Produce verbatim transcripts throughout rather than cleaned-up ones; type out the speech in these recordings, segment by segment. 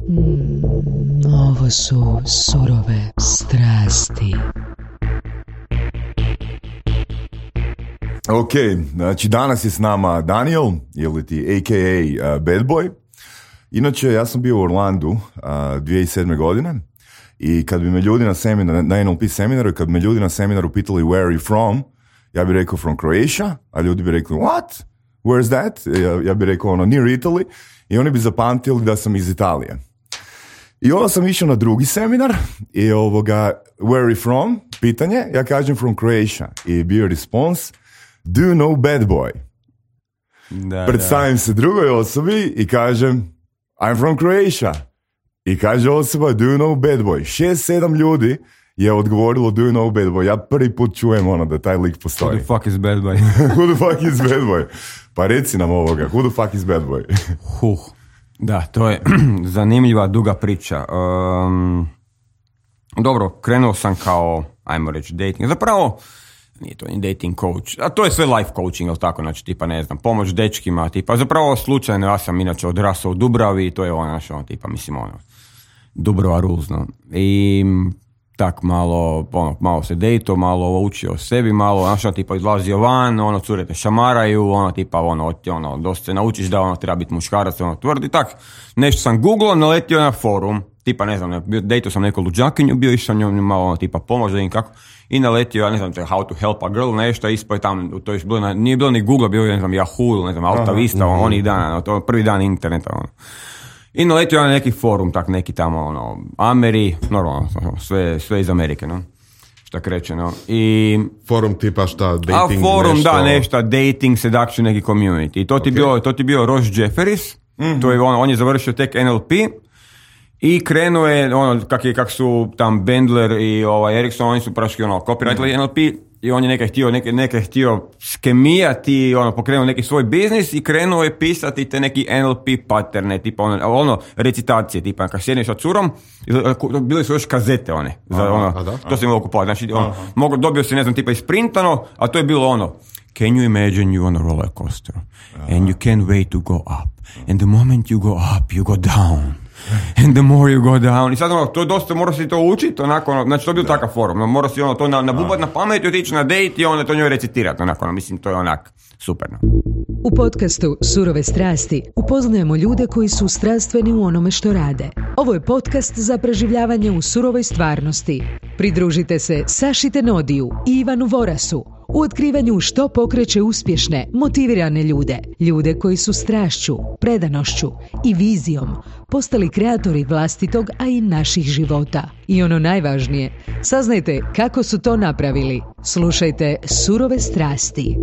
Mm, ovo su surove strasti. Ok, znači danas je s nama Daniel, ili ti a k a. Uh, Bad Boy. Inače, ja sam bio u Orlandu uh, dvije tisuće sedme godine i kad bi me ljudi na seminar, na N L P seminaru, kad bi me ljudi na seminaru pitali where are you from, ja bih rekao from Croatia, a ljudi bi rekli what? Where's that? Ja, ja bih rekao ono near Italy i oni bi zapamtili da sam iz Italije. I onda sam išao na drugi seminar i ovoga, where are you from? Pitanje, ja kažem from Croatia i bio respons, do you know Bad Boy? Da, Predstavim da. se drugoj osobi i kažem I'm from Croatia. I kaže osoba do you know Bad Boy? Šest, sedam ljudi je odgovorilo do you know Bad Boy. Ja prvi put čujem ono da taj lik postoji. Who the fuck is Bad Boy? Who the fuck is Bad Boy? Pa reci nam ovoga, who the fuck is Bad Boy? Huh. Da, to je zanimljiva, duga priča. Um, dobro, krenuo sam kao, ajmo reći, dating. Zapravo, nije to ni dating coach, a to je sve life coaching, ili tako, znači, tipa, ne znam, pomoć dečkima, tipa, zapravo slučajno, ja sam inače odrasao u Dubravi i to je ono, znači, ono, tipa, mislim, ono, Dubrova rules, no. I tak malo, ono, malo se dejto, malo učio o sebi, malo, znači, ono, tipa, izlazio van, ono, cure te šamaraju, ono, tipa, ono, ono, dosta se naučiš da, ono, treba biti muškarac, ono, tvrdi, tak, nešto sam googlao, naletio na forum, tipa, ne znam, dejto sam neku luđakinju, bio išao njom malo, ono, tipa, pomoć da im kako, i naletio, ja ne znam, how to help a girl, nešto, ispoj tam, to je bilo na, nije bilo ni Google, bio je, ne znam, Yahoo, ne znam, Alta Vista, ono, onih dana, to prvi dan interneta, ono. I naletio na neki forum, tak neki tamo, ono, Ameri, normalno, sve, sve iz Amerike, no, šta kreće, no, i... Forum tipa šta, dating, a forum, nešto... da, nešto, dating, seduction, neki community, i to ti okay. bio, to ti bio Ross Jefferies, mm-hmm. to je on, on je završio tek N L P, i krenuo je, ono, kak, je, kak su tam Bandler i ovaj, Ericsson, oni su praški, ono, copyrightali mm. N L P, i on je neka htio, neke, neke htio skemijati, ono, pokrenuo neki svoj biznis i krenuo je pisati te neki N L P patterne, tipa ono, ono recitacije, tipa kad sjedneš sa curom, bile su još kazete one, za, aha, ono, da, to se mogu kupovati, znači, ono, mogu, dobio si, ne znam, tipa isprintano, a to je bilo ono, can you imagine you on a roller coaster, and you can't wait to go up, and the moment you go up, you go down. And the more you go down. I sad ono, to je dosta, mora si to učiti, onako, ono, znači to je bio takav forum, no, mora si ono, to nabubati na pamet i otići na date i onda to njoj recitirati, onako, ono, mislim, to je onak, super. No. U podcastu Surove strasti upoznajemo ljude koji su strastveni u onome što rade. Ovo je podcast za preživljavanje u surovoj stvarnosti. Pridružite se Saši Tenodiju i Ivanu Vorasu u otkrivanju što pokreće uspješne, motivirane ljude. Ljude koji su strašću, predanošću i vizijom postali kreatori vlastitog, a i naših života. I ono najvažnije, saznajte kako su to napravili. Slušajte Surove strasti.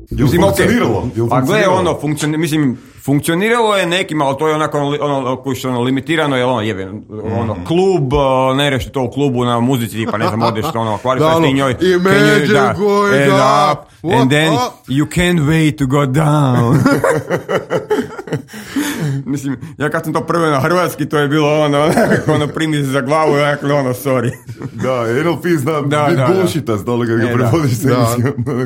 Jel funkcioniralo? Jel a gle, ono, funkcioni, mislim, funkcioniralo je nekima, ali to je onako, ono, koji što ono, limitirano, je ono, jebe, ono, mm. klub, ne reši to u klubu na muzici, pa ne znam, odeš, ono, kvalifaš ti njoj, imagine da, going up, up, and then you can't wait to go down. Mislim, ja kad sam to prvo na hrvatski, to je bilo ono, ono, primi se za glavu, dakle, ono, sorry. Da, N L P zna da, biti da, bullshita, znali kad ga e, prevodiš se na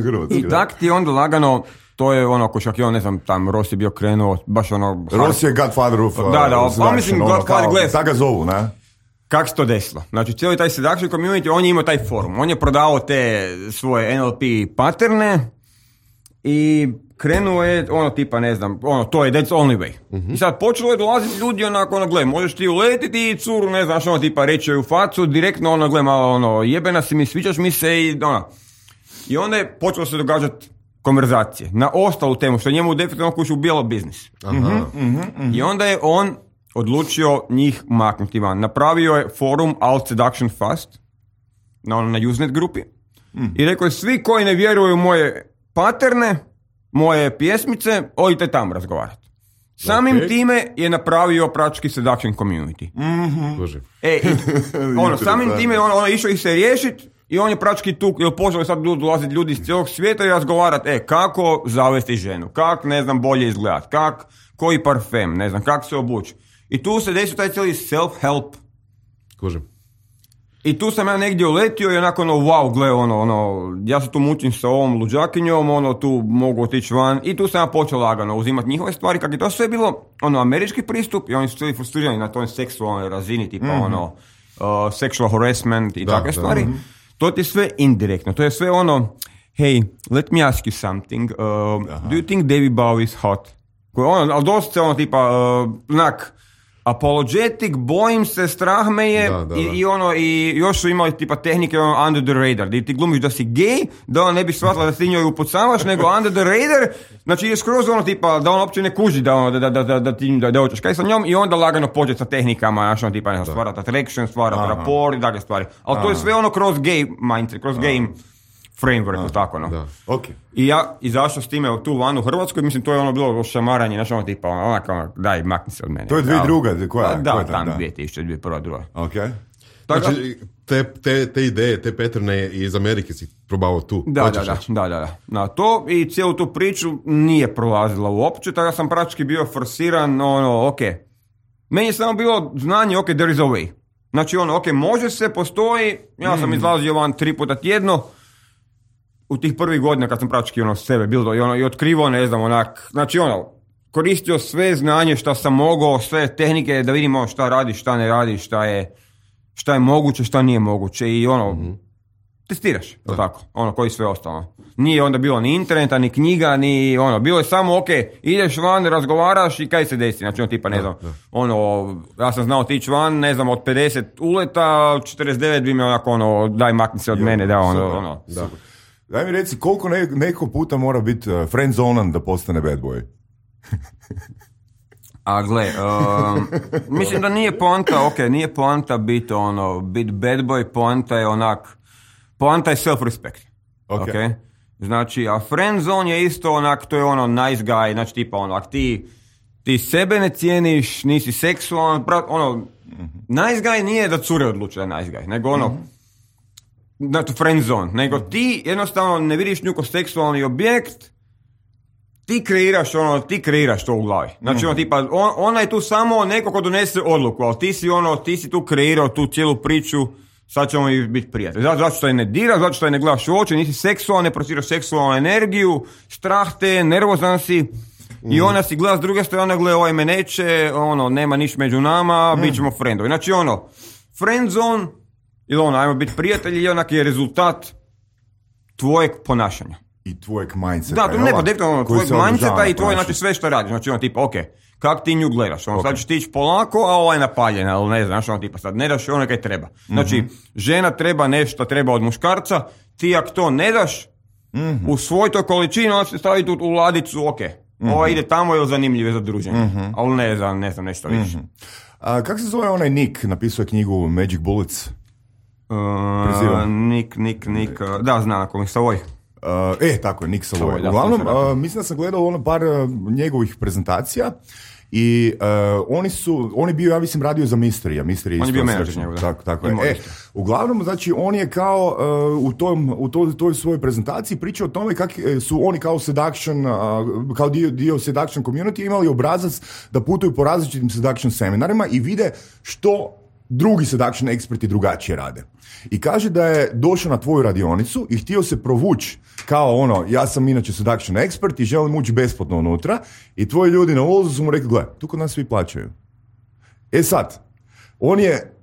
hrvatski. I tak ti onda lagano, to je ono, ko šak je on, ne znam, tam Ross je bio krenuo, baš ono... Ross je Godfather of... Da, da, pa mislim, Godfather, gledaj. Tako ga zovu, ne? Kako se to desilo? Znači, cijeli taj seduction community, on je imao taj forum, on je prodavao te svoje N L P patterne i krenuo je, ono, tipa, ne znam, ono, to je that's only way. Uh-huh. I sad počelo je dolaziti ljudi, onako, ono, gle, možeš ti uletiti i curu, ne znaš, ono, tipa, reći joj u facu, direktno, ono, gle, malo, ono, jebena si mi, sviđaš mi se i, ono. I onda je počelo se događati konverzacije na ostalu temu, što je njemu definitivno kući ubijalo biznis. Uh-huh. Uh-huh. Uh-huh. I onda je on odlučio njih maknuti van. Napravio je forum Alt Seduction Fast na, na Usenet grupi mm. i rekao je, svi koji ne vjeruju u moje paterne, moje pjesmice, odite tam razgovarati. Samim okay. time je napravio praktički seduction community. Mm-hmm. E, i, ono, samim time ono, ono išao ih se riješiti i on je praktički tu, jer počeli sad dolaziti ljudi iz cijelog svijeta i razgovarati, e, kako zavesti ženu, kako, ne znam, bolje izgledati, kako, koji parfem, ne znam, kako se obući. I tu se desio taj cijeli self-help. Kužim. I tu sam ja negdje uletio i onako ono, wow, gle, ono, ono, ja se tu mučim sa ovom luđakinjom, ono, tu mogu otići van i tu sam ja počeo lagano uzimati njihove stvari, kako je to sve bilo, ono, američki pristup i oni su svi frustrirani na toj seksualnoj razini, tipa, mm-hmm. ono, uh, sexual harassment i da, takve da, stvari. mm-hmm. To ti je sve indirektno, to je sve ono, hey, let me ask you something, uh, do you think David Bowie is hot? Koje ono, ali dosta ono, tipa, uh, znak, apologetic, bojim se, strah me je, da, da, da. I, i ono, i još su imali tipa tehnike ono, under the radar, gdje ti glumiš da si gay, da on ne bi shvatila da ti njoj upucavaš, nego under the radar, znači je skroz ono tipa, da on uopće ne kuži da ono, da, da, da, da ti da, da hoćeš kaj sa njom i onda lagano pođe sa tehnikama, znači ono tipa, ne znam, stvarati attraction, stvarati rapport i takve stvari. Ali to je sve ono kroz gay mindset, kroz Aha. gay framework, tako no. Okay. I ja izašao s time tu van u Hrvatskoj, mislim to je ono bilo šamaranje, znači ono tipa, onako, ono, daj, makni se od mene. To je dvije druga, koja? Da, koja tam da. dvije tisuće, dvije prva druga. Okay. Tako, znači, te, te, te ideje, te patterne iz Amerike si probao tu. Da, da, da, da, da, da. Na to i cijelu tu priču nije prolazila uopće, tako da sam praktički bio forsiran, ono, ok. Meni je samo bilo znanje, ok, there is a way. Znači ono, ok, može se, postoji, ja sam mm. izlazio van tri puta tjedno, u tih prvih godina kad sam praktički ono sebe bilo i ono i otkrivao, ne znam, onak, znači ono, koristio sve znanje što sam mogao, sve tehnike da vidimo šta radi, šta ne radi, šta je, šta je moguće, šta nije moguće i ono, mm-hmm. testiraš, to tako, ono, koji sve ostalo. Nije onda bilo ni interneta, ni knjiga, ni ono, bilo je samo, ok, ideš van, razgovaraš i kaj se desi, znači ono tipa, ne znam, da, da. ono, ja sam znao otići van, ne znam, od pedeset uleta, četrdeset devet bi me onako, ono, daj makni se od jo, mene, da, ono, super, ono. Da. Daj mi reci, koliko ne, neko puta mora biti uh, friendzonan da postane bad boy? A gle, uh, mislim da nije poanta, ok, nije poanta biti ono, biti bad boy, poanta je onak, poanta je self-respect, ok? okay? Znači, a friendzone je isto onak, to je ono nice guy, znači tipa ono, ak ti, ti sebe ne cijeniš, nisi seksualan, ono, mm-hmm. nice guy nije da cure odluče da je nice guy, nego ono, mm-hmm. znači friend zone, nego ti jednostavno ne vidiš nju kao seksualni objekt, ti kreiraš ono, ti kreiraš to u glavi. Znači ono tipa, on, ona je tu samo neko ko donese odluku, ali ti si ono, ti si tu kreirao tu cijelu priču, sad ćemo i biti prijatelji. Zato, zato što je ne dira, zato što je ne gledaš u oči, nisi seksualan, ne prosiraš seksualnu energiju, strah te, nervozan si, mm. i ona si gleda s druge strane, gleda ovaj me neće, ono, nema niš među nama, mm. bit ćemo friendovi. Znači ono, friend zone, ili ono, ajmo biti prijatelji, i onak je rezultat tvojeg ponašanja. I tvojeg mindseta. Da, to ne podekno ono, tvojeg mindseta i tvoje, znači sve što radiš. Znači ono tipa, ok, kak ti nju gledaš? Ono, okay. Sad ćeš ti ići polako, a ova je napaljena, ali ne znaš, ono tipa, sad ne daš ono kaj treba. Znači, mm-hmm. žena treba nešto, treba od muškarca, ti ako to ne daš, mm-hmm. u svoj toj količini, onda se stavi tu u ladicu, ok, mm-hmm. ova ide tamo ili zanimljive za druženje, mm-hmm. ali ne znam, ne znam, nešto mm-hmm. više. A kako se zove onaj Nick, napisao je knjigu Magic Bullets? Uh, Nick, Nick, Nick, uh, da, znam, ako mi Savoy. Uh, e, tako je, Nick Savoy. Uglavnom, uh, mislim da sam gledao ono par uh, njegovih prezentacija i uh, oni su, on je bio, ja mislim, radio za Mystery, Mystery on je bio menadžer njegov, da. Tako, tako je. E, uglavnom, znači, on je kao uh, u, tom, u toj, toj svojoj prezentaciji pričao o tome kako su oni kao seduction, uh, kao dio, dio seduction community imali obrazac da putuju po različitim seduction seminarima i vide što drugi seduction eksperti drugačije rade. I kaže da je došao na tvoju radionicu i htio se provući kao ono, ja sam inače seduction ekspert i želim ući besplatno unutra i tvoji ljudi na ulazu su mu rekli, gle, tu kod nas svi plaćaju. E sad, on je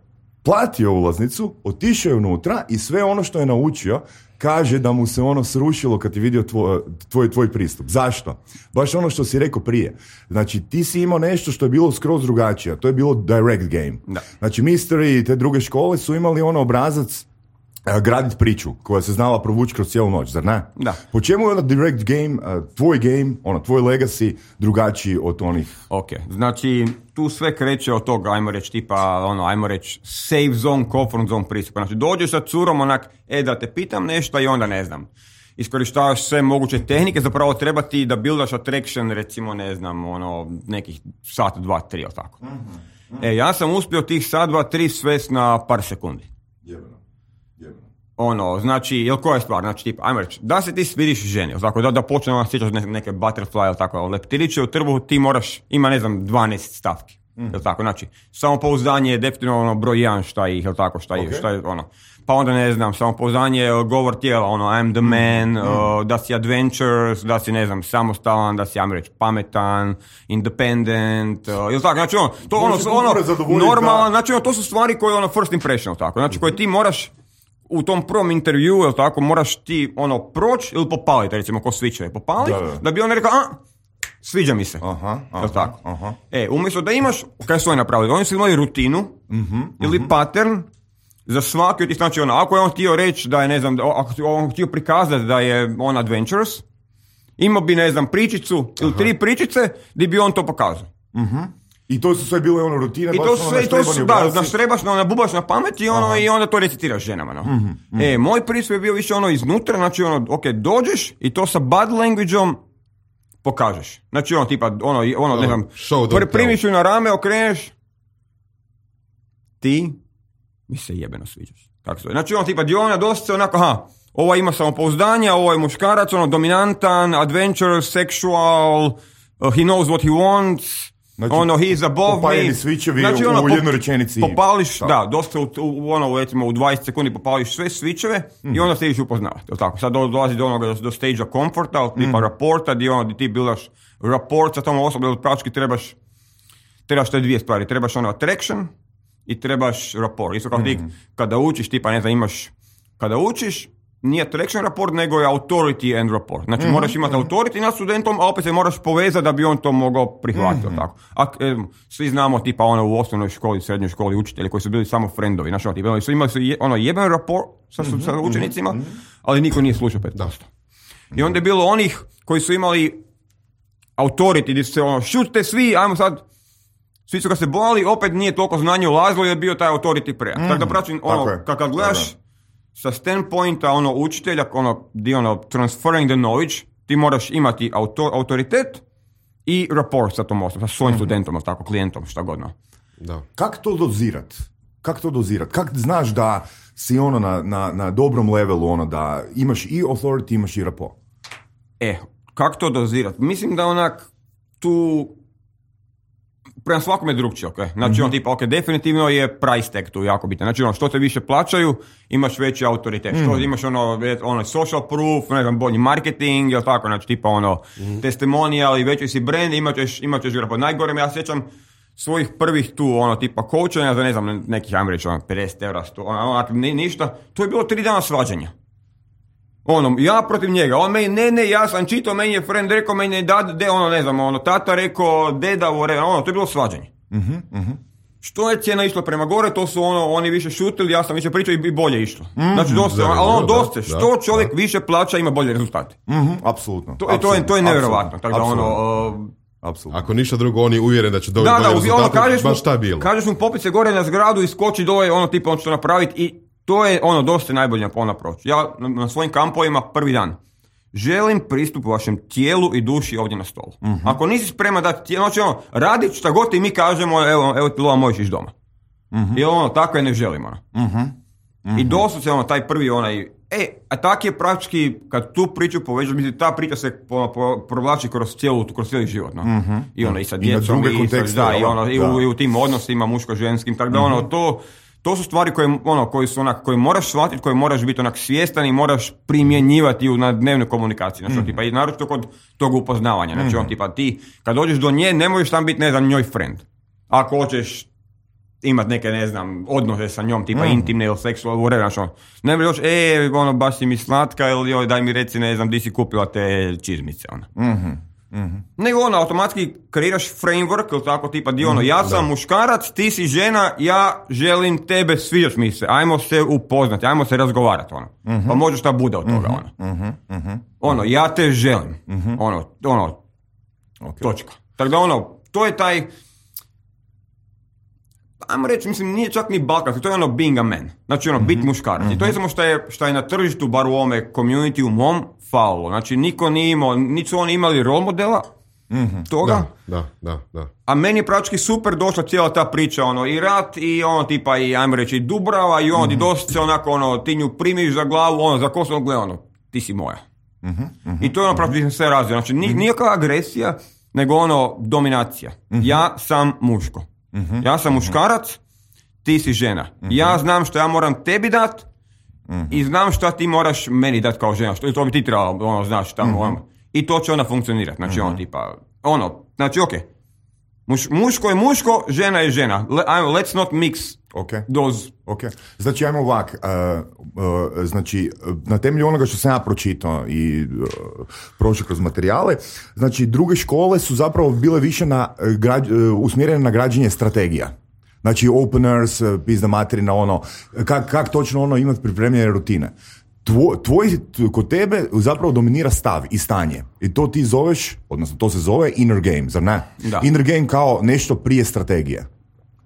platio ulaznicu, otišao je unutra i sve ono što je naučio kaže da mu se ono srušilo kad je vidio tvoj, tvoj, tvoj pristup. Zašto? Baš ono što si rekao prije. Znači, ti si imao nešto što je bilo skroz drugačije. To je bilo direct game. Da. Znači, Mystery i te druge škole su imali ono obrazac uh, graditi priču koja se znala provući kroz cijelu noć, zar ne? Da. Po čemu je onda direct game, uh, tvoj game, ono, tvoj legacy drugačiji od onih? Ok, znači, tu sve kreće od toga, ajmo reći, tipa, ono, ajmo reći, safe zone, comfort zone pristupa. Znači, dođeš sa curom, onak, e, da te pitam nešto i onda ne znam. Iskorištavaš sve moguće tehnike, zapravo treba ti da buildaš attraction, recimo, ne znam, ono, nekih sat, dva, tri, ili tako. Mm-hmm. Mm-hmm. E, ja sam uspio tih sat, dva, tri svest na par sekundi. Jebeno. Jebeno. Ono, znači, jel koja je stvar? Znači, tipa, ajmo reći, da se ti svidiš ženi, tako, da, da počne ona sjećaš neke, neke butterfly, ili tako, leptiriće u trbuhu, ti moraš, ima, ne znam, dvanaest stavki. Mm. Jel tako? Znači, samopouzdanje je definitivno ono broj jedan šta ih, jel tako, šta, okay. šta je ono. Pa onda ne znam, samopouzdanje, govor tijela, ono, I'm the man, mm. uh, da si adventurous, da si, ne znam, samostalan, da si, ajmo reći, pametan, independent, uh, jel tako? Znači, ono, to ono, ono, normalno, znači, ono, to su stvari koje, ono, first impression, jel tako? Znači, koje ti moraš u tom prvom intervju, jel tako, moraš ti, ono, proći ili popaliti, recimo, ko svičeve, popaliti, da, da. da bi on rekao, a, sviđa mi se. Aha, aha, tako? Aha. E, umjesto da imaš, kaj su oni napravili? Oni su imali rutinu uh-huh, ili uh-huh. pattern za svaki od tih, znači ono, ako je on htio reći da je, ne znam, ako je on htio prikazati da je on adventurous, imao bi, ne znam, pričicu ili aha. tri pričice gdje bi on to pokazao. Uh-huh. I to su sve bile ono rutine, I to su sve, to su, da, naštrebaš, no, nabubaš na pamet i, ono, i onda to recitiraš ženama. No. Uh-huh, uh-huh. E, moj pristup je bio više ono iznutra, znači ono, ok, dođeš i to sa body language-om pokažeš. Znači ono tipa, ono, ono ne znam, pr- primiš ju na rame, okreneš, ti mi se jebeno sviđaš. Tako se. Znači ono tipa, di ona dosta onako, aha, ovo ima samopouzdanje, ovo je muškarac, ono, dominantan, adventurous, sexual, uh, he knows what he wants, znači, ono, he's above me. Popajeni svičevi znači, ono, u jednoj rečenici. Popališ, da, da dosta u, u, ono, recimo, u dvadeset sekundi popališ sve svičeve mm-hmm. i onda se ideš upoznavati. Tako? Sad dolazi do onoga, do, do stage-a komforta, tipa mm-hmm. raporta, gdje ono, ti bilaš raport sa tom osobom, praktički trebaš, trebaš te dvije stvari. Trebaš ono attraction i trebaš rapport. Isto kao mm-hmm. ti, kada učiš, tipa, ne znam, imaš, kada učiš, nije attraction rapport, nego je authority and rapport. Znači, mm-hmm. moraš imati authority nad studentom, a opet se moraš povezati da bi on to mogao prihvatiti. Mm-hmm. Tako. A, e, svi znamo, tipa, ono, u osnovnoj školi, srednjoj školi, učitelji koji su bili samo friendovi. Znači, ono, tipa, su imali su je, ono, jeben rapport sa, mm-hmm. sa učenicima, mm-hmm. ali niko nije slušao pet posto. I onda je bilo onih koji su imali authority, gdje su se, ono, šutite svi, ajmo sad, svi su ga se bojali, opet nije toliko znanje ulazilo, jer je bio taj authority pre. Mm-hmm. Tako da praćim, ono, kad gledaš, sa standpointa ono učitelja, ono, di ono transferring the knowledge, ti moraš imati auto, autoritet i rapport sa tom osobom, sa svojim mm-hmm. studentom, tako, klijentom, šta godno. Da. Kako to dozirat? Kako to dozirat? Kako znaš da si ono na, na, na dobrom levelu, ono, da imaš i authority, imaš i rapport? E, kako to dozirat? Mislim da onak tu prema svakome je drugčije, ok? Znači, mm-hmm. on tipa, ok, definitivno je price tag tu jako bitan. Znači, ono, što te više plaćaju, imaš veći autoritet. Mm-hmm. Što imaš, ono, ono, social proof, ne znam, bolji marketing, jel tako, znači, tipa, ono, mm-hmm. testimonial i veći si brand, imat ćeš, imat ćeš grapa. Najgore, ja sjećam svojih prvih tu, ono, tipa, coachanja za, ne znam, nekih, ajmo reći, ono, pedeset evra, sto, ono, ono, ništa. To je bilo tri dana svađanja. Ono, ja protiv njega, on meni, ne, ne, ja sam čitao, meni je friend rekao, meni je dad, de, ono, ne znam, ono, tata rekao, deda, vore, ono, to je bilo svađanje. Uh-huh, uh-huh. Što je cijena išla prema gore, to su ono, oni više šutili, ja sam više pričao i bolje išlo. Uh-huh. Znači, dosta, da, ali ono, dosta, da, što čovjek da. više plaća, ima bolje rezultate. Uh-huh. Apsolutno. To, to je, to je nevjerovatno, tako da ono... Uh, Apsolutno. Ako ništa drugo, on je uvjeren da će dobiti da, bolje da, rezultate, ono, baš šta je bilo. Kažeš mu popit se gore na zgradu i skoči dole, ono, tipa, on će to napraviti i to je ono dosta najbolje na proći. Ja na, na svojim kampovima prvi dan želim pristup vašem tijelu i duši ovdje na stolu. Uh-huh. Ako nisi spreman dati tijelo, znači ono, radit šta god i mi kažemo, evo, evo ti lova, možeš ići doma. Uh-huh. I ono, tako je ne želimo. Ono. Uh-huh. Uh-huh. I doslovce ono, taj prvi onaj, e, a tak je praktički, kad tu priču povežeš, mislim, ta priča se po, po, provlači kroz cijelu, kroz cijeli život. No? Uh-huh. I ono, i sa djecom, i, i, da, i, ono, i, u, i u tim odnosima muško-ženskim, tako da uh-huh. ono, to... To su stvari koje, ono, koji su onak, koje moraš shvatiti, koje moraš biti onak svjestan i moraš primjenjivati u, na dnevnoj komunikaciji. Znači, mm. tipa, i naročito kod tog upoznavanja. Znači, mm. on, tipa, ti, kad dođeš do nje, ne možeš tam biti, ne znam, njoj friend. Ako hoćeš imati neke, ne znam, odnose sa njom, tipa, mm. intimne ili seksualne, whatever, znači, on, ne možeš, e, ono, baš si mi slatka, ili joj, daj mi reci, ne znam, di si kupila te čizmice, ona. Mm-hmm. Mm-hmm. Nego ono, automatski kreiraš framework, ili tako, tipa, di ono, ja sam da. muškarac, ti si žena, ja želim tebe, sviđaš mi se, ajmo se upoznati, ajmo se razgovarati, ono. Mm-hmm. Pa može šta bude od toga, mm-hmm. ono. Mm-hmm. Ono, ja te želim, mm-hmm. ono, ono, okay. točka. Tako da ono, to je taj, ajmo reći, mislim, nije čak ni balkanski, to je ono being a man, znači ono, mm-hmm. bit muškarac. Mm-hmm. I to je samo što je, što je na tržištu, bar u ovome community, u mom, falilo. Znači, niko nije imao, niti su oni imali role modela mm-hmm. toga. Da, da, da, da. A meni je praktički super došla cijela ta priča, ono, i rat, i ono, tipa, i ajmo reći, i Dubrava, i ono, mm-hmm. i dosta se onako, ono, ti nju primiš za glavu, ono, za kosu, ono, ono, ti si moja. Mm-hmm. Mm-hmm. I to je ono, praktički sve razvio. Znači, ni, mm-hmm. nijakva agresija, nego ono, dominacija. Mm-hmm. Ja sam muško. Uh-huh. Ja sam muškarac, ti si žena. Uh-huh. Ja znam što ja moram tebi dat uh-huh. i znam što ti moraš meni dat kao žena. Što to bi ti trebalo, ono, znaš, tamo, uh-huh. ono. I to će onda funkcionirati. Znači, uh-huh. ono, tipa, ono, znači, okej. Okay. Muš, muško je muško, žena je žena. Le, let's not mix okay. those. Okay. Znači, ajmo ovak. Uh, uh, znači, na temelju onoga što sam ja pročitao i uh, prošao kroz materijale, znači, druge škole su zapravo bile više na, uh, građ, uh, usmjerene na građenje strategija. Znači, openers, uh, pizda materina, ono, kak, kak točno ono imati pripremljene rutine. Tvoj, tvoj, kod tebe zapravo dominira stav i stanje. I to ti zoveš, odnosno to se zove inner game, zar ne? Da. Inner game kao nešto prije strategije.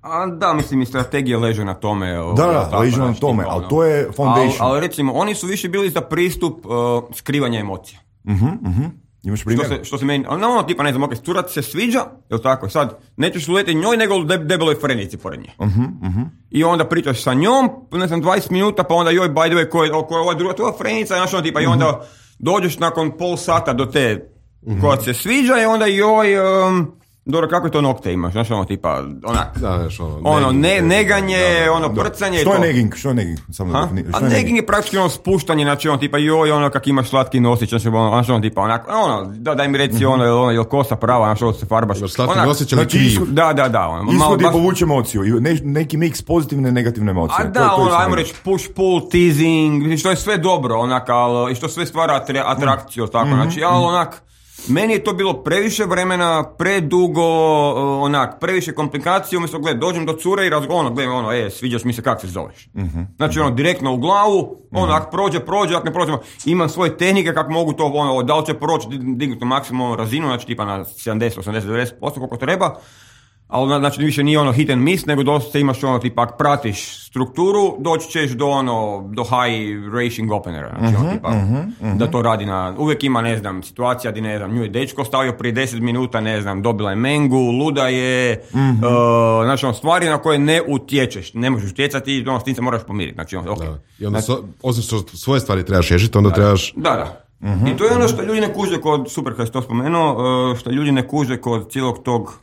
A, da, mislim i strategije leže na tome. Da, da, leže na tome, ali to je foundation. Ali, ali recimo, oni su više bili za pristup uh, skrivanja emocija. Mhm, uh-huh, mhm. Uh-huh. Imaš primjer? Što se, što se meni, no, ono, tipa, ne znam, ok, cura se sviđa, jel tako, sad, nećeš uletiti njoj, nego de, debeloj frenici pored nje. Uh-huh, uh-huh. I onda pričaš sa njom, ne znam, dvadeset minuta, pa onda joj, by the way, ko je, ko je ova druga, to je frenica, znaš, ono, tipa, uh-huh. i onda dođeš nakon pol sata do te uh-huh. koja se sviđa i onda joj, um, dobro, kako je to nokte imaš, znaš, ono, tipa, onak, da, znaš, ono, ono neging, ne, neganje, da, ono, da. prcanje. Što je neging? Što je neging? Samo da defini, A neging je praktički ono spuštanje, znači ono tipa joj, ono kak imaš slatki nosić, znači ono, znači ono tipa onako, ono, da, daj mi reci ono, ono, jel kosa prava, znači ono se farbaš. Imaš slatki nosić, ali znači, kriv. Da, da, da. Ono, ishod je baš... povući emociju, i ne, neki mix pozitivne i negativne emocije. A da, to, to ono, ajmo reći push, pull, teasing, što je sve dobro, onak, ali, i što sve stvara atrakciju, mm. tako, mm-hmm. znači, ali onak, meni je to bilo previše vremena, predugo, onak, previše komplikacije, umjesto, gled, dođem do cure i razgovorim, ono, gled, ono, e, sviđaš mi se, kak se zoveš. Mm-hmm. Znači, ono, direktno u glavu, ono, ak prođe, prođe, ak ne prođe, imam svoje tehnike kako mogu to, ono, da li će proći, dignuti maksimalnu razinu, znači, tipa na sedamdeset, osamdeset, devedeset posto koliko treba, ali znači više nije ono hit and miss, nego dosta imaš ono, tipa, ak pratiš strukturu, doći ćeš do ono, do high racing openera, znači uh-huh, ono, tipa, uh-huh, uh-huh. da to radi na, uvijek ima, ne znam, situacija di, ne znam, nju je dečko stavio prije deset minuta, ne znam, dobila je mengu, luda je, uh-huh. uh, znači ono, stvari na koje ne utječeš, ne možeš utjecati, ono, s tim se moraš pomiriti, znači ono, ok. Da. I onda, znači, so, osim što svoje stvari trebaš riješiti, onda da, trebaš... Da, da. Uh-huh, I to je ono što ljudi ne kuže kod, super kad si to spomenuo, uh, što ljudi ne kuže kod cijelog tog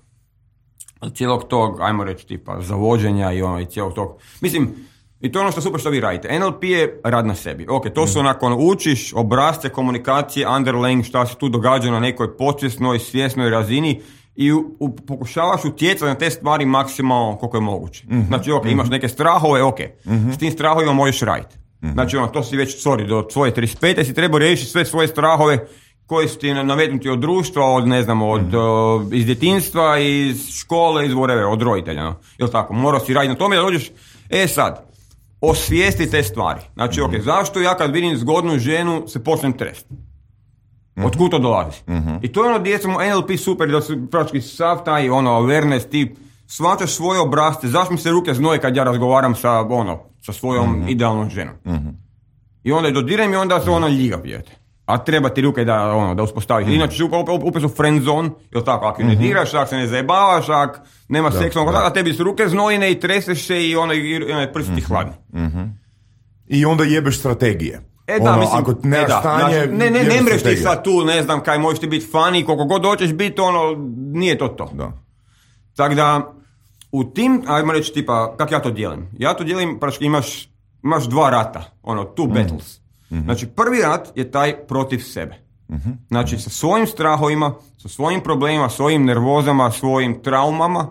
cijelog tog, ajmo reći, tipa, zavođenja i ono, i cijelog tog. Mislim, i to je ono što super što vi radite. N L P je rad na sebi. Ok, to su onako, ono, učiš obrazce komunikacije, underlying, šta se tu događa na nekoj podsvjesnoj, svjesnoj razini i u, u, pokušavaš utjecati na te stvari maksimalno koliko je moguće. Mm-hmm. Znači, ok, imaš neke strahove, ok, mm-hmm. s tim strahovima možeš raditi. Mm-hmm. Znači, ono, to si već, sorry, do svoje trideset pete si trebao riješiti sve svoje strahove koji su ti nametnuti od društva, od, ne znam, od, mm-hmm. uh, iz djetinjstva, iz škole, iz whatever, od roditelja, no? Jel' tako? Morao si raditi na tome da dođeš, e sad, osvijesti te stvari. Znači, mm-hmm. ok, zašto ja kad vidim zgodnu ženu se počnem trest? Mm-hmm. Otkud to dolazi? Mm-hmm. I to je ono gdje smo N L P super, da su praktički sav taj, ono, awareness, ti shvaćaš svoje obrazce, zašto mi se ruke znoje kad ja razgovaram sa, ono, sa svojom mm-hmm. idealnom ženom. Mm-hmm. I onda je dodiram i onda se ono ljiga pijete. A treba ti ruke da, ono, da uspostaviš. Mm-hmm. Inače, upet su friend zone, jel tako, ako mm-hmm. ne diraš, ako se ne zajebavaš, ako nema seksualnog kontakta, a tebi su ruke znojne i treseš se i ono, i ono prsti mm-hmm. hladni. Mm-hmm. I onda jebeš strategije. E da, ono, mislim, ako ne e da, stanje, znači, ne, ne, ne mreš ti sad tu, ne znam kaj, možeš ti biti funny, koliko god hoćeš biti, ono, nije to to. Da. Tako da, u tim, ajmo reći, tipa, kako ja to dijelim? Ja to dijelim, praški, imaš, imaš dva rata, ono, two mm-hmm. battles. Mm-hmm. Znači, prvi rat je taj protiv sebe. Mm-hmm. Znači, sa svojim strahovima, sa svojim problemima, svojim nervozama, svojim traumama,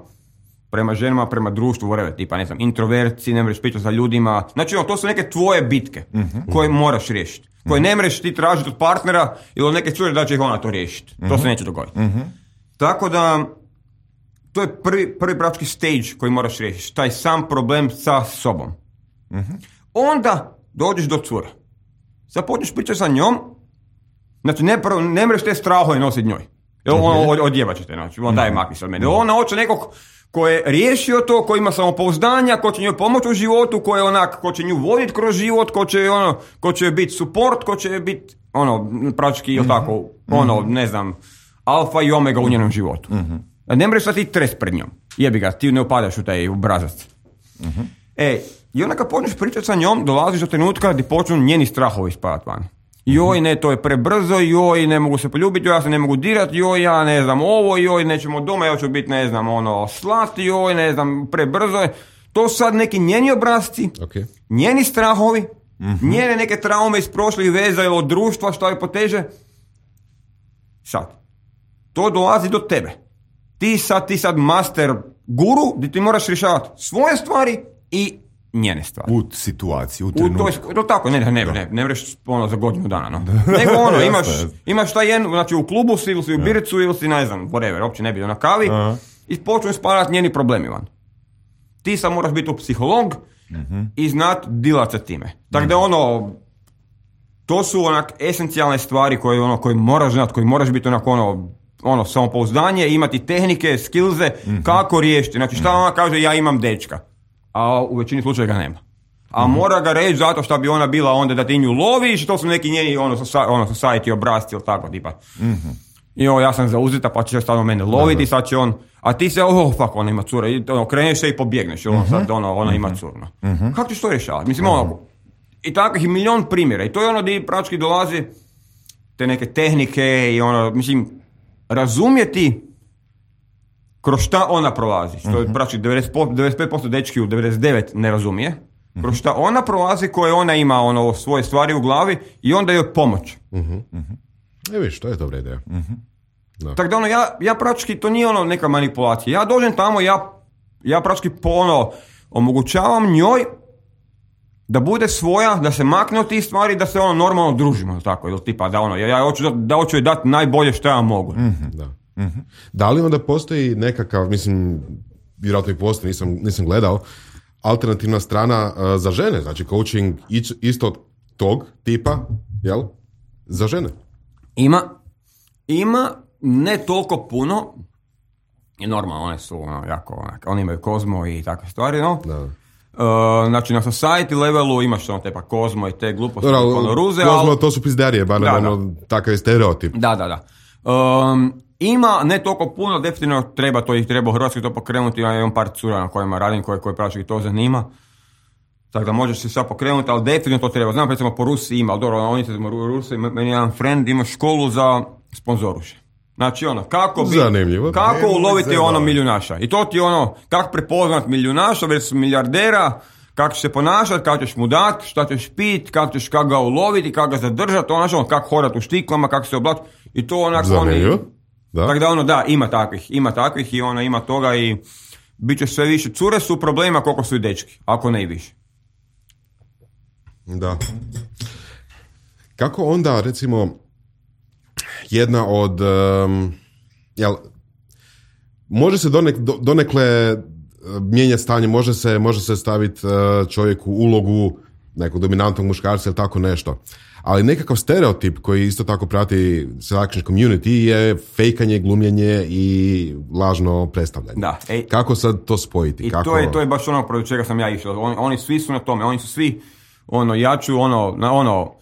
prema ženama, prema društvu, whatever, tipa, ne znam, introverci, ne možeš pričati sa ljudima. Znači, ono, to su neke tvoje bitke mm-hmm. koje moraš riješiti. Koje ne možeš ti tražiti od partnera ili od neke cure da će ih ona to riješiti. Mm-hmm. To se neće dogoditi. Mm-hmm. Tako da, to je prvi, prvi praktički stage koji moraš riješiti. Taj sam problem sa sobom. Mm-hmm. Onda dođeš do cura. Sad počneš pričati sa njom, znači ne, ne mreš te strahove nositi njoj. Jer ona mm-hmm. odjevat će te, znači, on daj makni se od mene. Mm-hmm. Ona hoće nekog ko je riješio to, ko ima samopouzdanja, ko će njoj pomoći u životu, ko je onak, ko će nju voditi kroz život, ko će, ono, ko će biti support, ko će biti, ono, praktički, mm-hmm. tako, ono, ne znam, alfa i omega u njenom životu. Mm-hmm. Ne mreš sad ti trest pred njom. Jebi ga, ti ne upadaš u taj obrazac. Mm-hmm. E, i onda kad počneš pričati sa njom, dolaziš do trenutka gdje počnu njeni strahovi ispadati van. Joj, ne, to je prebrzo, joj, ne mogu se poljubiti, joj, ja se ne mogu dirati, joj, ja ne znam ovo, joj, nećemo doma, ja ću biti, ne znam, ono, slat, joj, ne znam, prebrzo je. To su sad neki njeni obrazci, okay. njeni strahovi, mm-hmm. njene neke traume iz prošlih veza ili od društva, što je poteže. Sad, to dolazi do tebe. Ti sad, ti sad master guru, gdje ti moraš rješavati svoje stvari i njene stvari. U situaciji, u trenutku. U to, to tako, ne, ne, ne, ne, ne vreš ono za godinu dana, no. Nego ono, imaš, imaš taj jedan, znači u klubu si, ili si u bircu, ili si, ne znam, whatever, uopće ne bi na kavi, uh-huh. i počnu spadati njeni problemi van. Ti sad moraš biti u psiholog uh-huh. i znat dilat sa time. Tako da ono, to su onak esencijalne stvari koje, ono, koje moraš znat, koje moraš biti onak ono, ono, samopouzdanje, imati tehnike, skillze, uh-huh. kako riješiti. Znači šta ona kaže, ja imam dečka. A u većini slučaja ga nema. A mm-hmm. mora ga reći zato što bi ona bila onda da ti nju loviš i to su neki njeni ono, ono society obrazci ili tako tipa. Mm-hmm. I ovo ja sam zauzeta pa će stalno mene loviti i sad će on, a ti se oh fuck ona ima cura i ono, kreneš se i pobjegneš ono, mm-hmm. sad ono, ona ima curu. No. Mm-hmm. Kako ćeš to rješavati? Mislim mm-hmm. ono, i takvih milion primjera i to je ono gdje praktički dolazi te neke tehnike i ono, mislim, razumjeti kroz šta ona prolazi, što je praktički devedeset pet posto dečki u devedeset devet ne razumije, kroz šta ona prolazi koje ona ima ono svoje stvari u glavi i onda joj pomoć. Uh-huh. Uh-huh. E viš, to je dobra ideja. Uh-huh. Da. Tako da ono, ja, ja praktički, to nije ono neka manipulacija. Ja dođem tamo, ja, ja praktički po ono, omogućavam njoj da bude svoja, da se makne od tih stvari, da se ono normalno družimo, tako, ili tipa da ono, ja, ja hoću, da hoću joj dati najbolje što ja mogu. Uh-huh. Da. Mm-hmm. Da li onda postoji nekakav, mislim, vjerojatno i postoji, nisam, nisam gledao, alternativna strana uh, za žene, znači coaching isto tog tipa, jel? Za žene? Ima, ima, ne toliko puno, i normalno, one su ono, jako, onak, oni imaju Kozmo i takve stvari, no? Da. Uh, znači na society levelu imaš ono tepa Kozmo i te gluposti, ono ruze, Kozmo, ali... to su pizdarije, ba da, ono, takav je stereotip. Da, da, da. Um, ima, ne toliko puno, definitivno treba to ih treba u Hrvatskoj to pokrenuti, ja imam par cura na kojima radim, koje, koje praktički to zanima. Tako da možeš se sad pokrenuti, ali definitivno to treba. Znam, recimo po Rusiji ima, ali dobro, oni se Rusi, meni jedan friend ima školu za sponzoruše. Znači ono, kako bi, zanimljivo, kako uloviti ono milijunaša. I to ti ono, kako prepoznat milijunaša već milijardera, kako će se ponašati, kako ćeš mu dati, šta ćeš pit, kako ćeš kako ga uloviti, kako ga zadržati, ono, kako hodati u štiklama, kako se oblati. I to onak oni... Da. Tako da ono, da, ima takvih, ima takvih i ono, ima toga i bit će sve više. Cure su problema koliko su i dečki, ako ne i više. Da. Kako onda, recimo, jedna od, um, jel, može se donek, do, donekle mijenjati stanje, može se, može se staviti uh, čovjeku ulogu nekog dominantnog muškarca ili tako nešto. Ali nekakav stereotip koji isto tako prati selection community je fejkanje, glumljenje i lažno predstavljanje. Da, ej, kako sad to spojiti? I kako... to je to je baš ono protiv čega sam ja išao. Oni, oni svi su na tome, oni su svi ono ja ću ono na ono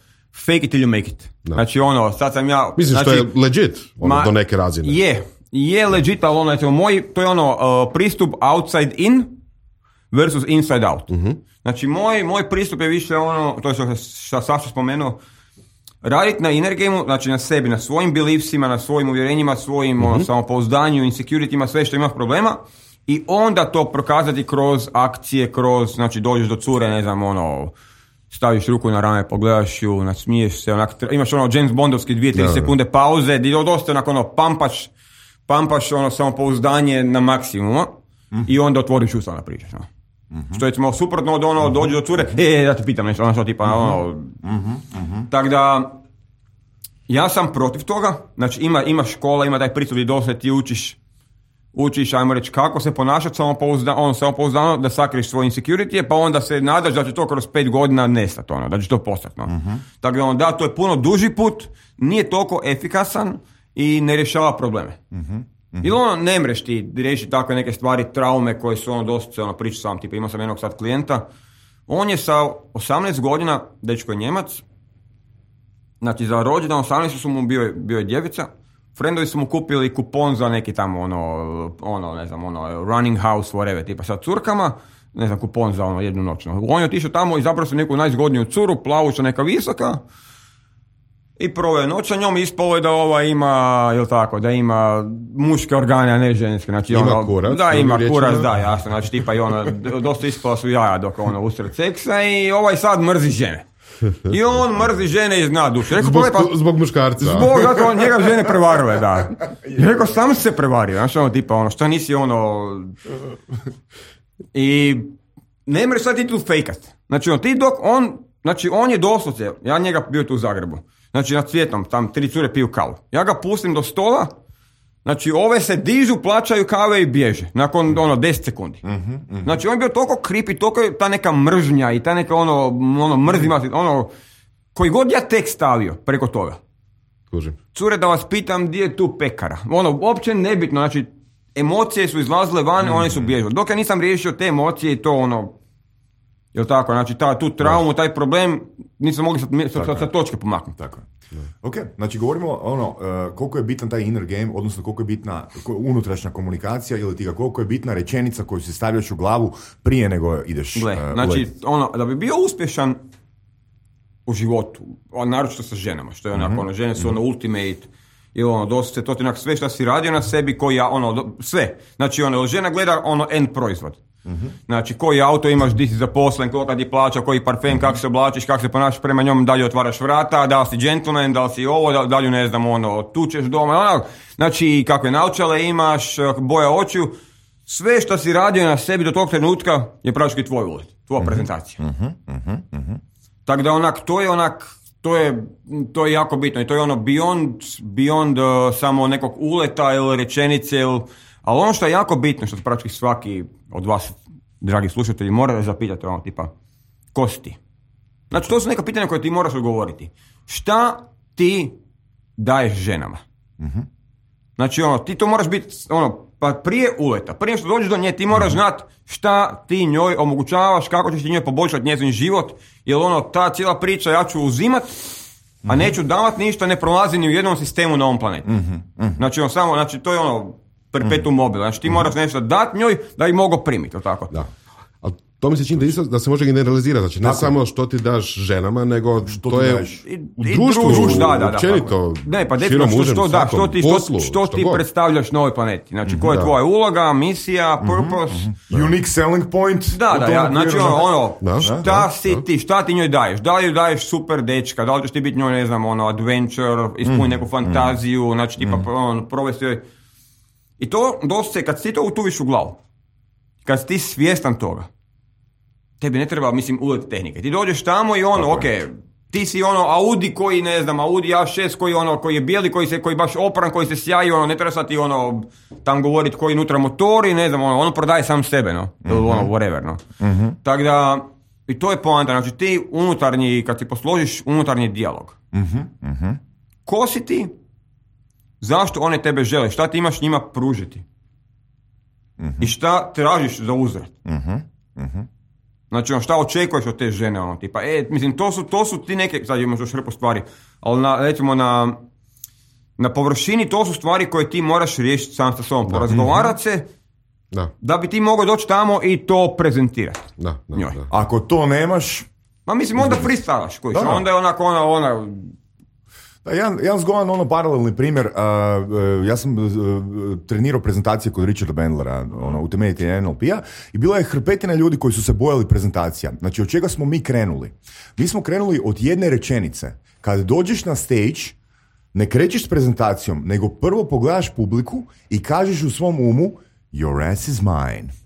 fake it till you make it. Da. Znači ono sad sam ja mislim znači, što je legit ono, ma, do neke razine. Je, je legit, ali ono moj to je ono uh, pristup outside in versus inside out. Uh-huh. Znači moj moj pristup je više ono to je što što Saša spomenuo. Raditi na inner gameu, znači na sebi, na svojim beliefsima, na svojim uvjerenjima, svojim mm-hmm. ono, samopouzdanju, insecurityma, sve što imaš problema i onda to prokazati kroz akcije, kroz, znači dođeš do cure, ne znam, ono, staviš ruku na rame, pogledaš ju, nasmiješ se, onak, imaš ono James Bondovski dvije, tri sekunde pauze, di dosta onako ono, pampaš, pampaš ono samopouzdanje na maksimumu mm-hmm. i onda otvoriš usta na pričaš, no. Mm-hmm. Što je smo suprotno od ono, dođe do cure, e, e, da te pitam nešto, ono što tipa, mm-hmm. ono, mm-hmm. Mm-hmm. tako da, ja sam protiv toga, znači ima, ima škola, ima taj pristup i dosad ti učiš, učiš, ajmo reći, kako se ponašati samopouzdano, ono, samopouzdano, da sakriješ svoje insecurity, pa onda se nadaš da će to kroz pet godina nestati, ono, da će to postati, no. Mm-hmm. Tako da, ono, da, to je puno duži put, nije toliko efikasan i ne rješava probleme. Mm-hmm. Mm-hmm. Ili ono, ne mreš ti riješiti takve neke stvari, traume koje su ono dosta, ono, priča sam, tipa imao sam jednog sad klijenta, on je sa osamnaest godina, dečko je Njemac, znači za rođendan osamnaest su mu bio, bio je djevica, friendovi su mu kupili kupon za neki tamo ono, ono, ne znam, ono, running house, whatever, tipa sa curkama, ne znam, kupon za ono jednu noć. On je otišao tamo i zapravo su neku najzgodniju curu, plavuća, neka visoka, i proveo noć sa njom, ispalo je da ova ima, jel tako, da ima muške organe, a ne ženske. Znači, ima ono, kurac. Da, ima kurac, da, jasno. Znači, tipa i ono, dosta ispala su jaja dok ono usred seksa i ovaj sad mrzi žene. I on mrzi žene iz dna duše. Rekao, Zbog, pa, zbog muškarca. Zbog, zato on njega žene prevarile, da. I rekao, sam se prevario. Znači, ono, tipa, ono, šta nisi ono... I ne mreš sad ti tu fejkat. Znači, on, ti dok on, znači, on je doslovce, ja njega bio tu u Zagrebu. Znači, na Cvjetnom, tam tri cure piju kavu. Ja ga pustim do stola, znači, ove se dižu, plaćaju kave i bježe. Nakon, ono, deset sekundi. Mm-hmm, mm-hmm. Znači, on je bio toliko creepy, toliko ta neka mržnja i ta neka, ono, ono mrzima, ono, koji god ja tek stavio preko toga. Kužim. Cure, da vas pitam, gdje je tu pekara? Ono, uopće nebitno, znači, emocije su izlazile van, mm-hmm. one su bježile. Dok ja nisam riješio te emocije i to, ono, jel tako, znači, ta, tu traumu, taj problem, nisam mogli sa, sa, sa točke pomaknuti. Tako je. Ok, znači govorimo ono, uh, koliko je bitan taj inner game, odnosno koliko je bitna unutrašnja komunikacija ili ti ga koliko je bitna rečenica koju si stavljaš u glavu prije nego ideš. Gle, uh, znači, ono, da bi bio uspješan u životu, naročito sa ženama, što je onako, mm-hmm. ono, žene su ono ultimate, ili ono, dosta to ti onak sve što si radio na sebi, koji ja, ono, sve. Znači, ono, žena gleda ono end proizvod. Mm-hmm. Znači, koji auto imaš, di si zaposlen, koliko ti plaća, koji parfem, mm-hmm. kako se oblačiš, kako se ponašaš prema njom, da li otvaraš vrata, da li si gentleman, da li si ovo, da, da li ne znam, ono, tučeš doma, ono, znači, kakve naočale imaš, boja očiju, sve što si radio na sebi do tog trenutka je praktički tvoj ulet, tvoja mm-hmm. prezentacija. Mm-hmm. Mm-hmm. Tako da onak, to je onak, to je, to je jako bitno i to je ono beyond, beyond uh, samo nekog uleta ili rečenice, ili, ali ono što je jako bitno, što praktički svaki od vas, dragi slušatelji, mora zapitati ono tipa, ko si ti? Znači, to su neka pitanja koje ti moraš odgovoriti. Šta ti daješ ženama? Mm-hmm. Znači, ono, ti to moraš biti, ono, pa prije uleta, prije što dođeš do nje, ti moraš znati šta ti njoj omogućavaš, kako ćeš ti njoj poboljšati njezin život, jer ono, ta cijela priča ja ću uzimat, a neću davat ništa, ne prolazi ni u jednom sistemu na ovom planetu. Mm-hmm. Znači, on samo, znači, to je ono, perpetuum mobile, znači ti moraš nešto dati njoj da ih mogu primiti, tako? Da. Ali to mi se čini da, isto, da se može generalizirati, znači ne tako. Samo što ti daš ženama, nego što to je daš? I, u društvu, i druž, da, da, da, općenito, ne, pa definitivno što, što, da, što ti, poslu, što, što što ti predstavljaš na ovoj planeti, znači koja je da. tvoja uloga, misija, purpose. Mm-hmm. Unique selling point. Da, da, ja, znači ono, ono da, šta da, si da. ti, šta ti njoj daješ, da li joj daješ super dečka, da li ćeš ti biti njoj, ne znam, ono, adventure, ispuniti mm-hmm. neku fantaziju, mm-hmm. znači tipa, mm-hmm. ono, provesti joj. I to dosta, kad ti to utuviš u glavu, kad si ti svjestan toga, tebi ne treba, mislim, ulet tehnike. Ti dođeš tamo i ono, ok, ti si ono Audi koji, ne znam, Audi A šest koji ono, koji je bijeli, koji se, koji baš opran, koji se sjaji, ono, ne treba sad ti ono, tam govoriti koji unutra motori, ne znam, ono, ono prodaje sam sebe, no, ili mm-hmm. ono, whatever, no. Mm-hmm. Tako da, i to je poanta, znači ti unutarnji, kad ti posložiš unutarnji dijalog, Mm-hmm. Mm-hmm. ko si ti, zašto one tebe žele, šta ti imaš njima pružiti mm-hmm. i šta tražiš za uzvrat. Mm-hmm. Mm-hmm. Znači, ono, šta očekuješ od te žene, ono, tipa, e, mislim, to su, to su ti neke, sad imaš još hrpu stvari, ali na, recimo na, na površini to su stvari koje ti moraš riješiti sam sa sobom, porazgovarati se, da. da bi ti mogao doći tamo i to prezentirati. Da, da, njoj. da. Ako to nemaš... Ma mislim, onda freestylaš, kojiš, Da, da. onda je onako ona, ona, Da, jedan, jedan zgodan ono paralelni primjer, uh, uh, ja sam uh, trenirao prezentacije kod Richarda Bandlera, ono, utemeljitelja N L P-a, i bila je hrpetina ljudi koji su se bojali prezentacija. Znači, od čega smo mi krenuli? Mi smo krenuli od jedne rečenice. Kad dođeš na stage, ne krećeš s prezentacijom, nego prvo pogledaš publiku i kažeš u svom umu, your ass is mine.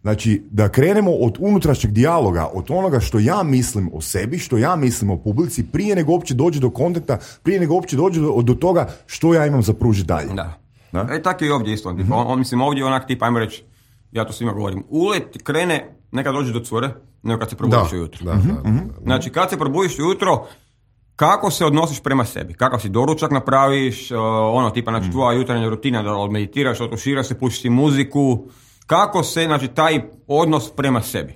Znači, da krenemo od unutrašnjeg dijaloga, od onoga što ja mislim o sebi, što ja mislim o publici, prije nego uopće dođe do kontenta, prije nego uopće dođe do, do toga što ja imam za pružiti dalje. da. Da? E, tako je i ovdje isto, mm-hmm. on, on, mislim, ovdje je onak tip, ajmo reći, ja to svima govorim, ulet krene, nekad dođe do cure, nego kad se probudiš ujutro. Da, da, da, da. Znači, kad se probudiš ujutro, kako se odnosiš prema sebi, kakav si doručak napraviš, uh, ono tipa, znači, tvoja jutarnja rutina, da odmeditiraš, otuširaš se, pušiš si muziku, kako se, znači, taj odnos prema sebi.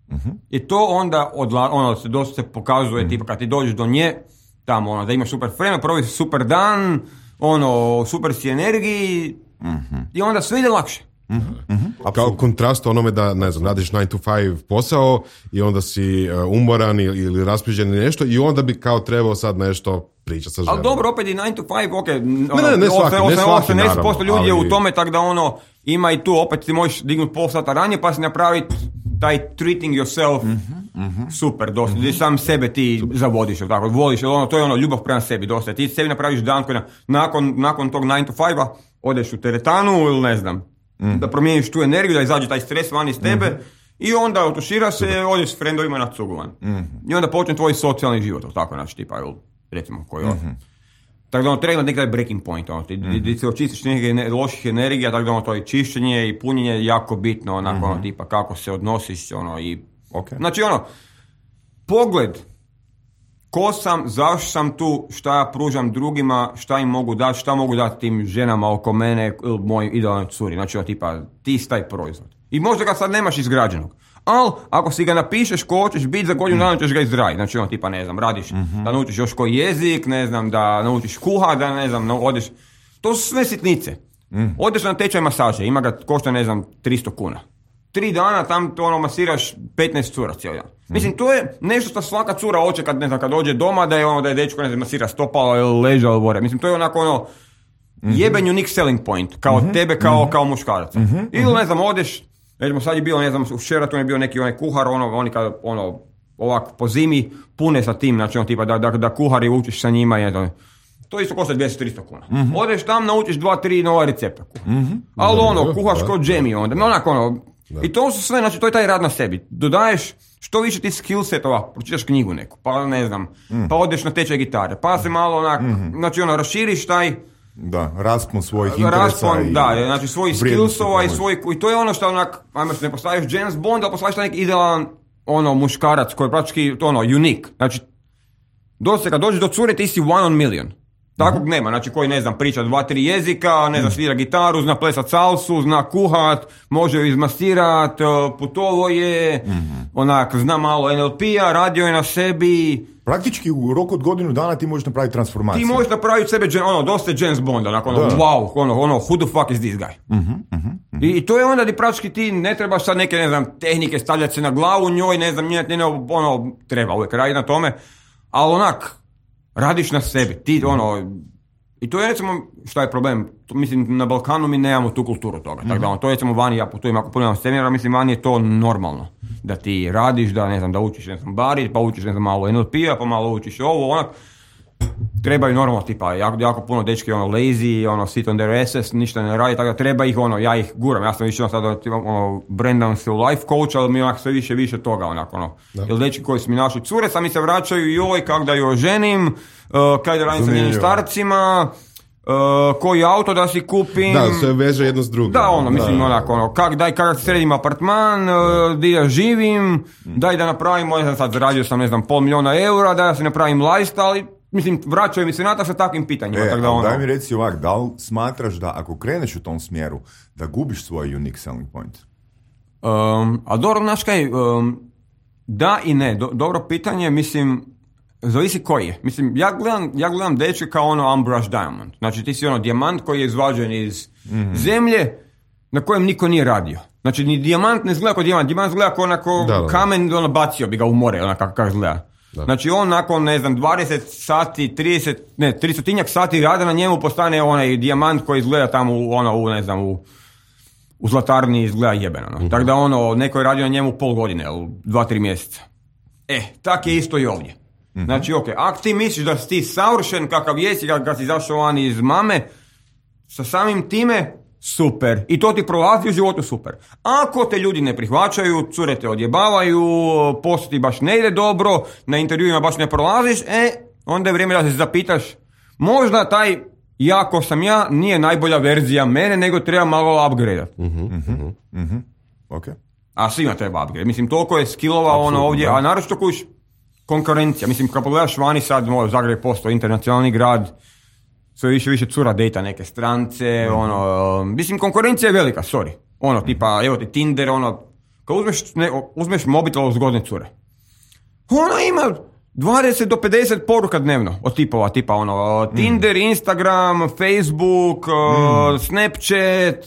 Uh-huh. I to onda odla, ono, se dosta se pokazuje, uh-huh. tipa, kad ti dođeš do nje, tamo, ono, da imaš super vreme, proviš super dan, ono, super si energiji, uh-huh. i onda sve ide lakše. Uh-huh. Kao kontrast onome da, ne znam, radiš nine to five posao i onda si uh, umoran ili, ili raspiđen ili nešto i onda bi kao trebao sad nešto priča sa ženom. Ali dobro, opet i nine to five, ok, ono, ne, ne, ne svaki, ne svaki, osamdeset posto ljudi naravno, je ali... u tome, tako da ono, ima i tu, opet ti možeš dignuti pol sata ranije, pa si napraviti taj treating yourself, mm-hmm, mm-hmm, super, dosta, mm-hmm. sam sebe ti super. Zavodiš, tako, voliš, ono, to je ono, ljubav prema sebi, dosta, ti sebi napraviš dan koji na, nakon, nakon tog nine to five-a odeš u teretanu ili ne znam, mm-hmm. da promijeniš tu energiju, da izađe taj stres van iz tebe, mm-hmm. i onda otušira se, super. Odeš s frendovima na cugovan. Mm-hmm. I onda počne tvoj socijalni život, tako, znači, tipa, recimo, koji mm-hmm. Tako da ono treba neki taj breaking point, ono, ti, mm-hmm. ti se očistiš nekih loših energija, tako da ono to i čišćenje i punjenje je jako bitno, onako, mm-hmm. ono, tipa kako se odnosiš, ono, i... Okay. Znači, ono, pogled, ko sam, zašto sam tu, šta ja pružam drugima, šta im mogu dati, šta mogu dati tim ženama oko mene, ili moj idealnoj curi, znači, ono, tipa, ti si taj proizvod. I možda ga sad nemaš izgrađenog. Ali, ako si ga napišeš ko hoćeš biti, za godinu dana ćeš ga izraditi. Znači, ono, tipa, ne znam, radiš mm-hmm. da naučiš još koji jezik, ne znam, da naučiš kuha, da ne znam, odeš... To su sve sitnice. Mm. Odeš na tečaj masaže, ima ga, košta, ne znam, tristo kuna. Tri dana tam to ono masiraš petnaest cura cijeli dan. Mm. Mislim, to je nešto što svaka cura hoće kad, ne znam, kad dođe doma, da je ono, da je dečko, ne znam, masira stopalo ili leža ili vore. Mislim, to je onako ono, mm-hmm. jeben unique selling point, kao mm-hmm. tebe, kao, mm-hmm. kao muškaraca. Mm-hmm. Ili, ne znam, odeš... Recimo, sad je bilo, ne znam, u Sheratonu je bio neki onaj kuhar, ono, oni kad, ono, ovak po zimi pune sa tim, znači, ono, tipa, da, da, da kuhari učiš sa njima, je, to isto košta dvjesto do tristo kuna. Mm-hmm. Odeš tam, naučiš dva, tri nova recepta. Mm-hmm. Ali, ono, kuhaš kod džemi, onda, onako, ono, da. I to su sve, znači, to je taj rad na sebi. Dodaješ što više ti skill setova, pročitaš knjigu neku, pa ne znam, mm. pa odeš na tečaj gitare, pa se malo, onak, mm-hmm. znači, ono, raširiš taj... Da, raspon svojih interesa. Raspon, i da, znači svojih skillsova i svoj, i to je ono što onak, ajmo se ne postaviš James Bond, ali postaviš neki idealan, ono, muškarac koji je praktički, to ono, unique. Znači, dosta kad dođeš do cure, ti si one on million. Takvog uh-huh. nema, znači koji, ne znam, priča dva, tri jezika, ne znam, svira gitaru, zna plesat salsu, zna kuhat, može ju izmasirat, putovo je, uh-huh. onak, zna malo en el pe-a, radio je na sebi. Praktički u roku od godinu dana ti možeš napraviti transformaciju. Ti možeš napraviti sebe, ono, dosta James Bonda, onako, ono, wow, ono, ono, who the fuck is this guy? Uh-huh, uh-huh, uh-huh. I, I to je onda di praktički ti ne trebaš sad neke, ne znam, tehnike stavljati se na glavu njoj, ne znam, njene, njene, ono, treba uvijek raditi na tome, ali onak, radiš na sebi, ti, ono, i to je, recimo, šta je problem, to, mislim, na Balkanu mi nemamo tu kulturu toga, mm-hmm. tako da, ono, to je, recimo, vani, ja putujem, ako putujem seminara, mislim, vani je to normalno, da ti radiš, da, ne znam, da učiš, ne znam, bari, pa učiš, ne znam, malo en el pe-a, pa malo učiš ovo, onak, trebaju normalno, tipa, jako, jako puno dečki, ono, lazy, ono, sit on their asses, ništa ne radi, tako da treba ih, ono, ja ih guram, ja sam više, ono, sada, ono, brandam se u life coach, ali mi onak sve više, više toga, onako, ono, jer dečki koji su mi našli cure, sami se vraćaju, joj, kak da ju oženim, uh, kaj da radim sa njenim starcima, uh, koji auto da si kupim. Da, sve veže jedno s drugim. Da, ono, mislim, da, onako, ono, kak, daj, kak sredim apartman, uh, di ja živim, daj da napravimo, ne znam, sad zaradio sam, ne znam, pol milijuna eura, da ja si napravim lifestyle, mislim, vraćaju mi se na to sa takvim pitanjima. E, tako da ono... daj mi reci ovak, da li smatraš da ako kreneš u tom smjeru, da gubiš svoj unique selling point? Um, a dobro, znaš kaj, um, da i ne, Do, dobro pitanje, mislim, zavisi koji je. Mislim, ja gledam, ja gledam dečke kao ono unbrushed diamond. Znači, ti si ono dijamant koji je izvađen iz mm-hmm. zemlje na kojem niko nije radio. Znači, ni dijamant ne izgleda kao dijamant, dijamant izgleda kao onako da, da. kamen, ono, bacio bi ga u more, onako kako, kako izgleda. Da. Znači on nakon, ne znam, dvadeset sati, trideset, ne, tristotinjak sati rada na njemu postane onaj dijamant koji izgleda tamo u, ono, u, ne znam, u, u zlatarni izgleda jebeno. No. Mm-hmm. Tako da ono, neko je radio na njemu pol godine, ili dva, tri mjeseca. E, tak je isto i ovdje. Mm-hmm. Znači, ok, ako ti misliš da si ti savršen kakav jesi, kad, kad si zašao van iz mame, sa samim time, super. I to ti prolazi u životu, super. Ako te ljudi ne prihvaćaju, cure te odjebavaju, posao ti baš ne ide dobro, na intervjuima baš ne prolaziš, e, onda je vrijeme da se zapitaš, možda taj ja ko sam ja nije najbolja verzija mene, nego treba malo upgrade. Mm-hmm, mm-hmm, mm-hmm. Okay. A svima treba upgrade. Mislim, toliko je skillova ono ovdje, da. A naročito kojiš konkurencija. Mislim, kad pogledaš vani sad, moj Zagreb posto internacionalni grad, sve više više cura dejta neke strance, mm-hmm. ono, mislim, konkurencija je velika, sorry. Ono, tipa, evo ti Tinder, ono, kad uzmeš, ne, uzmeš mobitel od zgodne cure, ona ima dvadeset do pedeset poruka dnevno od tipova, tipa, ono, mm. Tinder, Instagram, Facebook, mm. uh, Snapchat.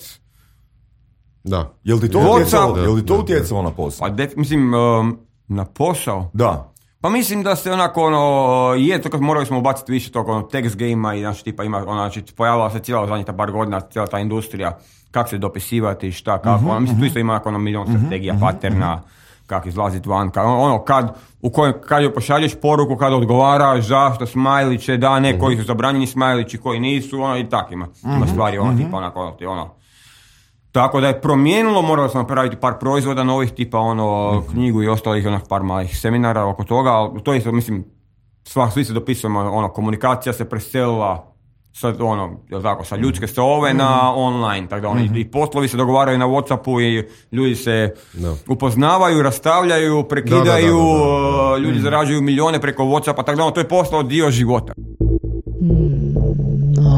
Da. Jel ti to utjecalo, jel ti to utjecalo na posao? Pa, def, mislim, um, na posao? Da. Pa mislim da se onako ono, je to kad morali smo ubaciti više tog ono, text game-a i znači tipa ima, ono, znači pojavila se cijela zadnjih ta par godina, cijela ta industrija, kako se dopisivati, šta, kako, uh-huh, ono, mislim tu isto ima ono milion uh-huh, strategija, uh-huh, paterna, uh-huh. kako izlaziti van, kad, ono, kad, u kojem, kad joj pošalješ poruku, kad odgovaraš, zašto, smajliće, da, ne, uh-huh. koji su zabranjeni smajlići, koji nisu, ono, i tak ima, uh-huh, ima stvari, ono, uh-huh. tipa, onako, ono, ti, ono, tako da je promijenilo, morali smo napraviti par proizvoda novih, tipa ono, mm-hmm. knjigu i ostalih onak par malih seminara oko toga, ali to isto, mislim, sva, svi se dopisujemo, ono, komunikacija se preselila sa, ono, jel tako, sa ljudske stove mm-hmm. na online, tako da oni mm-hmm. i poslovi se dogovaraju na WhatsAppu i ljudi se no. upoznavaju, rastavljaju, prekidaju, da, da, da, da, da. ljudi mm-hmm. zarađuju milijone preko WhatsAppa, tako da ono, to je postao dio života.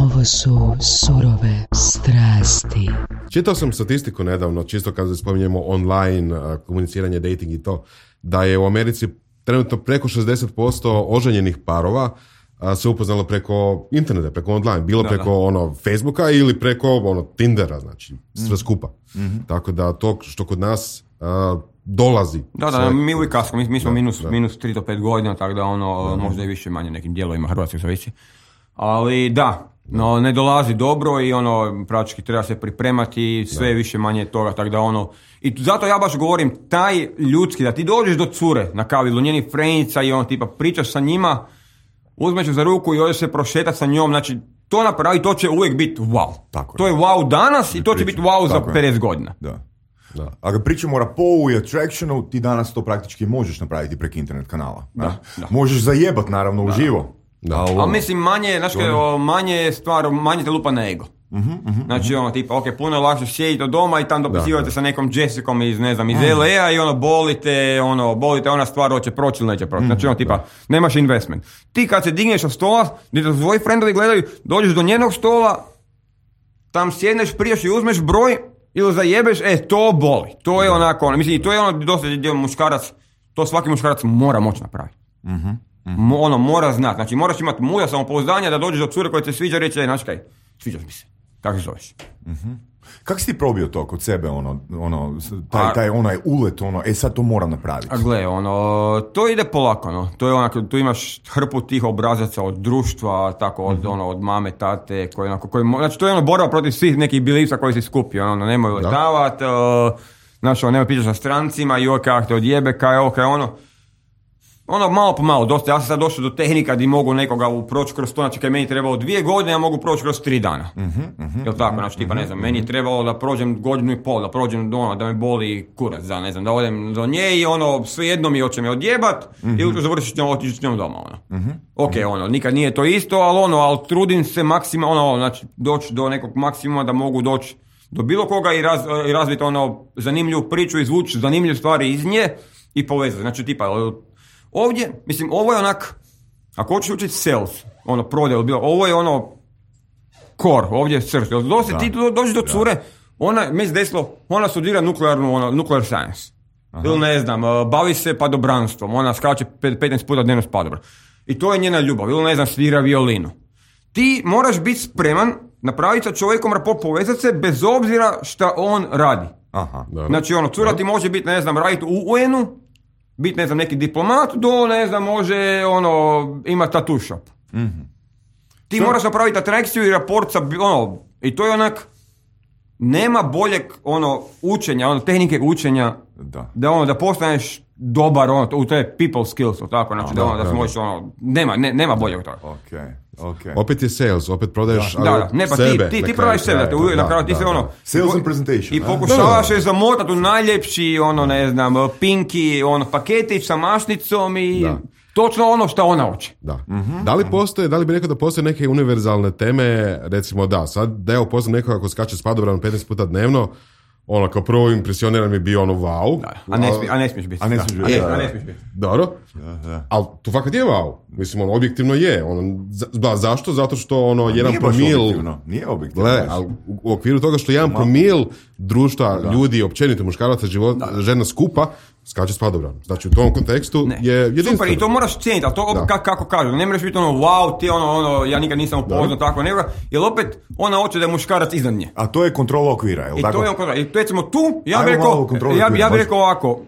Ovo su surove strasti. Čitao sam statistiku nedavno, čisto kad spominjemo online komuniciranje, dating i to, da je u Americi trenutno preko šezdeset posto oženjenih parova se upoznalo preko interneta, preko online, bilo da, preko da. ono Facebooka ili preko ono Tindera, znači sve mm. skupa. Mm-hmm. Tako da to što kod nas uh, dolazi. Da, da, mi uvijek kasno, mi, mi smo da, minus, da. minus tri do pet godina, tako da ono mm-hmm. možda i više manje nekim dijelovima Hrvatske zavisi. Ali da, no ne dolazi dobro i ono praktički treba se pripremati, sve da. više manje toga, tako da ono, i zato ja baš govorim, taj ljudski, da ti dođeš do cure na kavilu, njenih frenica i ono tipa pričaš sa njima, uzmeš za ruku i odeš se prošetati sa njom, znači to napravi, to će uvijek biti wow. Tako to je wow danas i to će biti wow za pedeset godina. Da. Da. A kad pričamo o rapou i attractionu, ti danas to praktički možeš napraviti preko internet kanala. Da, da. Možeš zajebat naravno da. uživo. Da. Ali mislim manje, znaš kaj, manje stvar, manje te lupa na ego. Uh-huh, uh-huh, znači ono tipa, ok, puno je lakše sjediti od doma i tam dopisivate sa nekom Jessicom iz, ne znam, iz uh-huh. L A i ono bolite, ono, bolite ona stvar hoće proći ili neće proći. Uh-huh. Znači ono tipa, da. nemaš investment. Ti kad se digneš od stola, gdje te svoji friendovi gledaju, dođeš do njenog stola, tam sjedneš, prijaš i uzmeš broj ili zajebeš, e, to boli. To je onako, ono, mislim, i to je ono dosta gdje muškarac, to svaki muškarac mora moći napraviti. Uh-huh. Mm-hmm. Ono, mora znati, znači moraš imati mulja samopouzdanja da dođeš do cure koja te sviđa, reći, znači kaj, sviđaš mi se, kako se zoveš? Mm-hmm. Kako si ti probio to kod sebe, ono, ono, taj, taj onaj ulet, ono, e sad to moram napraviti? A gle, ono, to ide polako, no, to je onako, tu imaš hrpu tih obrazaca od društva, tako, od, mm-hmm. ono, od mame, tate, koji, onako, koji, znači to je ono borba protiv svih nekih beliefsa koji si skupio, ono, nemoj letavati, uh, znači, ono, nemoj pričati sa strancima, joj, kako te odjebe, kaj, ok, ono, ono malo po malo, dosta, ja sam sad došao do tehnika gdje mogu nekoga proći kroz to, znači kad je meni trebalo dvije godine, ja mogu proći kroz tri dana. Uh-huh, uh-huh, Jel tako, znači tipa, ne znam, uh-huh. meni je trebalo da prođem godinu i pol, da prođem do ono, da me boli kurac, da ne znam, da odem do nje i ono, svejedno mi hoće me odjebat uh-huh. ili završiti s njom, otići s njom doma, ono. Uh-huh. Ok, ono, nikad nije to isto, ali ono, ali trudim se maksimalno, ono, znači doći do nekog maksimuma da mogu doći do bilo koga i, raz, i razviti ono, zanimljivu priču, izvući zanimljive stvari iz nje i povezati, znači tipa, ovdje, mislim, ovo je onak, ako hoćeš učiti sales, ono, prodaju, bilo, ovo je ono, core, ovdje je srž. Dosti, ti do, dođeš do cure, ona, mi se desilo, ona studira nuklearnu, ono, nuclear science. Aha. Ili ne znam, bavi se padobranstvom, ona skače petnaest puta dnevno s padobran. I to je njena ljubav, ili ne znam, svira violinu. Ti moraš biti spreman napraviti sa čovjekom rapport, povezati se bez obzira šta on radi. Aha, znači, ono, cura ti može biti, ne znam, raditi u U N-u, biti, ne znam, neki diplomat, do, ne znam, može, ono, ima tattoo shop. Mm-hmm. Ti so, moraš napraviti atrakciju i raport sa, ono, i to je onak, nema boljeg, ono, učenja, ono, tehnike učenja, da, da ono, da postaneš dobar, ono, to, to je people skills, tako, znači, da, da, ono, da, da možeš, ono, nema, ne, nema boljeg toga. Okay. Okay. Opet je sales, opet prodaješ da, da, ne, pa sebe. Ti, ti, ti prodaš sebe, da, da, na kraju ti se ono... Sales and presentation. I pokušavaš je zamotati u najljepši, ono, ne znam, pinki, ono, paketić sa mašnicom i da. Točno ono što ona hoće. Da. Mm-hmm. Da li postoje, da li bi rekao da postoje neke univerzalne teme, recimo da, sad da evo poznam nekoga ko skače s padobranom petnaest puta dnevno, ono, kao prvo impresioniran mi bio ono wow. Da, a, ne smije, a ne smiješ biti. A ne smiješ biti. A ne smiješ biti. Dobro. Ali to fakat je wow. Mislim, ono, objektivno je. Ono, za, zašto? Zato što ono, jedan promil... Objektivno. Nije objektivno. Le, ali u, u okviru toga što jedan promil društva, da. Ljudi, općenito, muškaraca, život, da. Žena skupa, skače s padobranom. Znači, u tom kontekstu ne. Je jedinstveno. Super, i to moraš cijeniti, ali to kako, kako kažu. Ne moraš biti ono, wow, ti ono, ono, ja nikad nisam upoznao tako, nego, jer opet ona hoće da je muškarac iznad nje. A to je kontrola okvira, je li I tako? To je kontrola. I recimo tu, ja bih rekao, ja, ja bi rekao ovako,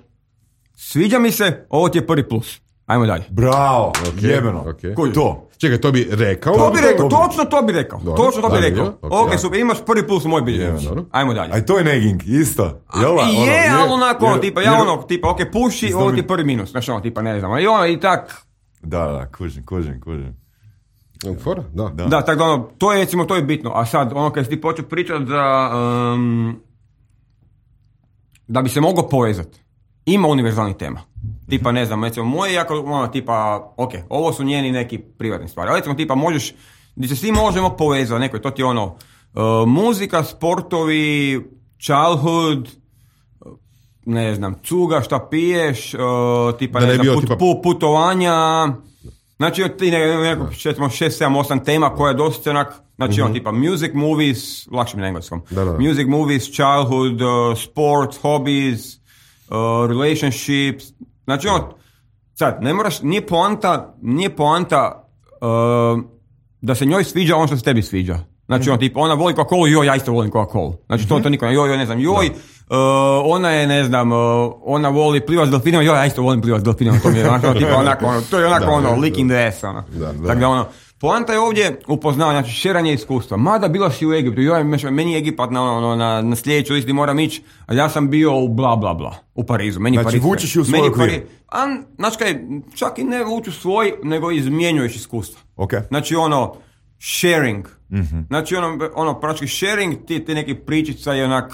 sviđa mi se, ovo ti je prvi plus. Ajmo dalje. Bravo, Ok, jebeno. ok. To. Čekaj, to bi rekao? To bi rekao, to bi- točno to bi rekao. Dobro, Točno to bi da, rekao. je, ok, Ok, da. super, imaš prvi plus u moj biljež. Je, dobro. Ajmo dalje. Aj to je negging, isto. Jel da? Ono, je, jer- ali onako, ono, jer- tipa, ja jer- ono, tipa, ok, puši, Znam ovo mi- ti je prvi minus. Znaš, ono, tipa, ne znam. I ono, i tak, Da, da, kužim, kužim, kužim. Fora? Da. Da. da, tako da, ono, to je, recimo, to je bitno. A sad, ono, kad si ti počeo pričati da, um, da bi se moglo povezati, ima univerzalnih tema. Tipa, ne znam, recimo, moje jako, ono, tipa, ok, ovo su njeni neki privatni stvari. Ali recimo, tipa, možeš, gdje se svi možemo povezati, neko, to ti je ono, uh, muzika, sportovi, childhood, uh, ne znam, cuga, šta piješ, uh, tipa, Da ne ne znam, bio, put, tipa- pu- putovanja, znači, ti ne, neko, šetimo šest, sedam, osam tema koja je dosta onak, znači, ono, tipa, music, movies, lakše mi na engleskom, Da, da. music, movies, childhood, uh, sports, hobbies, uh, relationships, znači, ono, sad, ne moraš, nije poanta, nije poanta uh, da se njoj sviđa ono što se tebi sviđa. Znači, ono, tipa, ona voli Coca-Cola, joj, ja isto volim Coca-Cola. Znači, to, to niko ne, joj, joj, ne znam, joj, uh, ona je, ne znam, uh, ona voli plivat s delfinima, joj, ja isto volim plivat s delfinima, to mi je onako, ono, tipa, onako, ono, to je onako, Da, ono, da, licking the ass, ono. Da, da. Tako da, ono, poanta je ovdje upoznavanje, znači, šeranje iskustva. Mada bila si u Egiptu, joj, meni je Egipat na, ono, na, na sljedeću listi moram ići, ali ja sam bio u bla, bla, bla, u Parizu. Meni Znači, Pariz, vučeš i u svoj meni okvir. Pariz- A, znači kaj, čak i ne vuču svoj, nego izmjenjuješ iskustva. Ok. Znači ono, sharing. Znači ono, ono praktički sharing, ti, ti neki pričica je onak,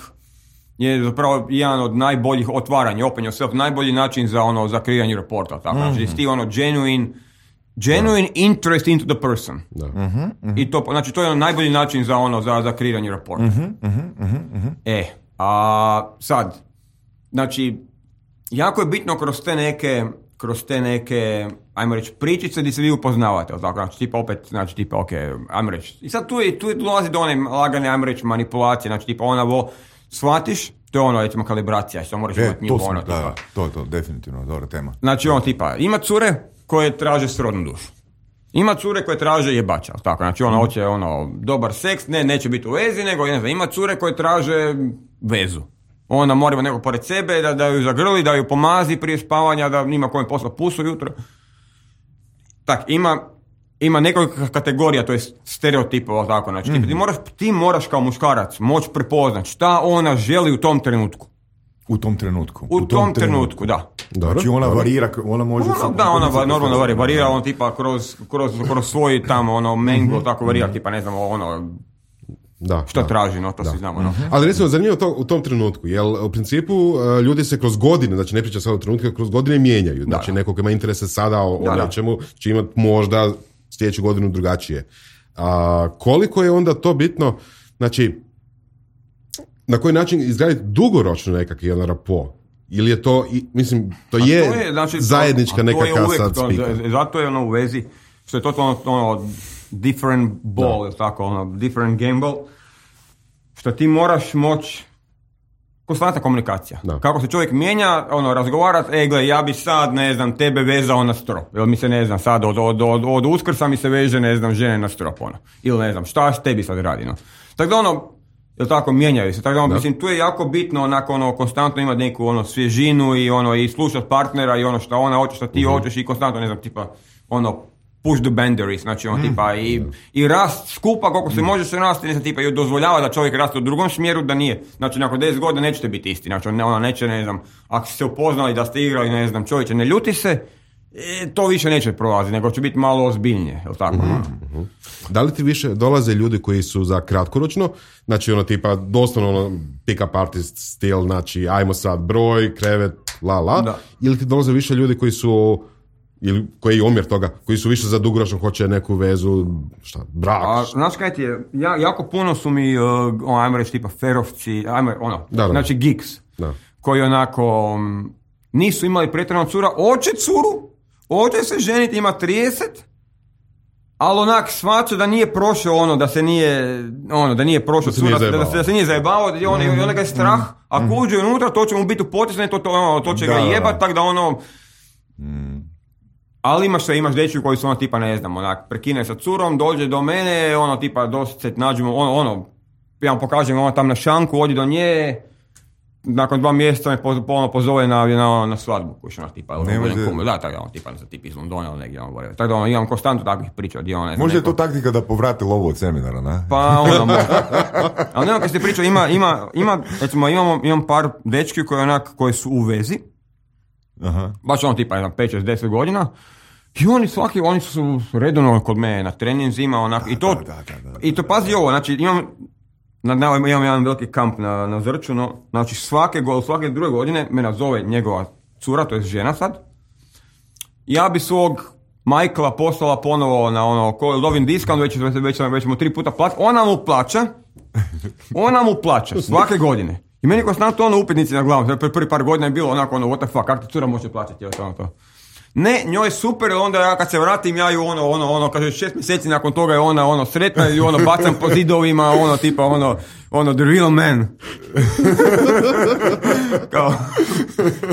je zapravo jedan od najboljih otvaranja, open yourself, najbolji način za ono, za kreiranje reporta. Tako, znači mm-hmm. ti ono genuine, genuine interest into the person. Da. I to, znači to je ono najbolji način za ono, za, za kreiranje reporta. E, a sad, znači, jako je bitno kroz te neke, kroz te neke, ajmo reći, pričice gdje se vi upoznavate, jel tako? Znači, tipa opet, znači, tipa, ok, ajmo reći. I sad tu je, tu je dolazi do one lagane, ajmo reći, manipulacije, znači, tipa, ona vo, shvatiš, to je ono, recimo, kalibracija, što moraš E, imati nju, to, sam, ono, da, tipa. da, to je to, definitivno, dobra tema. Znači, ono, tipa, ima cure koje traže srodnu dušu. Ima cure koje traže jebača, jel tako? Znači, ona hoće, ono, dobar seks, ne, neće biti u vezi, nego, ne znam, ima cure koje traže vezu. Ona mora nekog pored sebe, da, da ju zagrli, da ju pomazi prije spavanja, da nima kojem posla pusu jutro. Tak, ima, ima nekoliko kategorija, to je stereotipova, tako, znači, mm. ti, moraš, ti moraš kao muškarac moći prepoznati šta ona želi u tom trenutku. U tom trenutku. U, u tom, tom trenutku, trenutku, da. Dobro, Znači ona dobro. varira, ona može... Ono, da, ona va, normalno varira, varira on tipa kroz, kroz, kroz svoj tamo, ono, mengo, tako varira, tipa, ne znam, ono, Da, što da. traži, no, to Da. svi znamo, no. Ali recimo, zanimljivo to u tom trenutku, jer u principu uh, ljudi se kroz godine, znači ne priča sad o trenutku, kroz godine mijenjaju. Znači da. neko ko ima interese sada o, Da, o da. nečemu, će imati možda sljedeću godinu drugačije. A koliko je onda to bitno, znači, na koji način izgraditi dugoročno nekakvi jedan rapo? Ili je to, i, mislim, to A je, to je, znači, zajednička to, a to je nekakva uvijek sad to, spika. z- Zato je ono u vezi, što je to ono, ono different ball, ili tako, ono, different gamble, što ti moraš moći, konstantna komunikacija. Da. Kako se čovjek mijenja, ono, razgovarat, e, gle, ja bi sad, ne znam, tebe vezao na strop. Ili mi se, ne znam, sad od, od, od, od Uskrsa mi se veže, ne znam, žene na strop, ono. Ili ne znam, šta tebi sad radi, no. Tako da, ono, jel tako, mijenjaju se. Tako da, ono, mislim, tu je jako bitno, onako, ono, konstantno imati neku, ono, svježinu i, ono, i slušati partnera i ono šta ona hoće, šta ti Mhm. hoćeš i konstantno, ne znam, tipa, ono, push the boundaries, znači, ono, tipa, i, i rast skupa koliko se može se rasti, ne znam, tipa, i dozvoljava da čovjek raste u drugom smjeru, da nije. Znači, nakon deset godina nećete biti isti, znači, ono, ona neće, ne znam, ako ste se upoznali da ste igrali, ne znam, čovječe, ne ljuti se, e, to više neće prolaziti, nego će biti malo ozbiljnije, jel tako? Da li ti više dolaze ljudi koji su za kratkoročno, znači ono tipa doslovno ono pick-up artist stil, znači ajmo sad broj, krevet, la la, Da. ili ti dolaze više ljudi koji su, ili koji je omjer toga, koji su više za dugoročno, hoće neku vezu, šta, brak. A znaš kaj ti je, ja, jako puno su mi, uh, ono, ajmo reći, tipa ferovci, ajmo, ono, Da, da. znači geeks, Da. koji onako um, nisu imali pretjerano cura, oće curu, oće se ženiti, ima trideset, ali onak shvaća da nije prošao ono, da se nije, ono, da nije prošao Da se cura, nije da, da, zajebao. se, da se nije zajebao, da je on, mm. on ga je strah, ako uđe unutra, to će mu biti u potisne, to, to, ono, to će Da, ga da, jebat, da. tak da ono, ali imaš sve, imaš dečju koji su ono tipa, ne znam, onak, prekine sa curom, dođe do mene, ono tipa, dosta se nađemo, ono, ono, ja vam pokažem, ono tam na šanku, odi do nje, nakon dva mjeseca me poz, ponovno pozove na, na, na svadbu, koji ono, tipa, ne može... da, tako da, ono, tipa, za tip iz Londona ili negdje, ono, tako da, ono, imam konstantno takvih priča, gdje, ono, ne znam, može neko... je to taktika da povrate lovu od seminara, ne? Pa, ono, može. Ali nema kad ste pričao, ima, ima, ima, recimo, imamo, imam par dečki koji, onak, koji su u vezi, aha. Baš ono, tipa, jedan, pet, šest, deset godina, i oni svaki, oni su redovno kod mene na treninzima, onak, da, i to, da, da, da, da, i to, pazi ovo, znači, imam, na, na, imam jedan veliki kamp na, na Zrču, no, znači, svake, svake druge godine me nazove njegova cura, to je žena sad, ja bi svog Michaela poslala ponovo na ono, ko dobim diskant, već, već, već, već mu tri puta plaća, ona mu plaća, ona mu plaća, svake godine. I meni konstantno ono upitnici na glavu, prvi par godina je bilo onako ono, what the fuck, kako ti cura može plaćati, ono to. Ne, njoj je super, onda ja kad se vratim, ja ju ono, ono, ono, kaže šest mjeseci nakon toga je ona, ono, sretna i ono, bacam po zidovima, ono, tipa, ono, ono, the real man. Kao,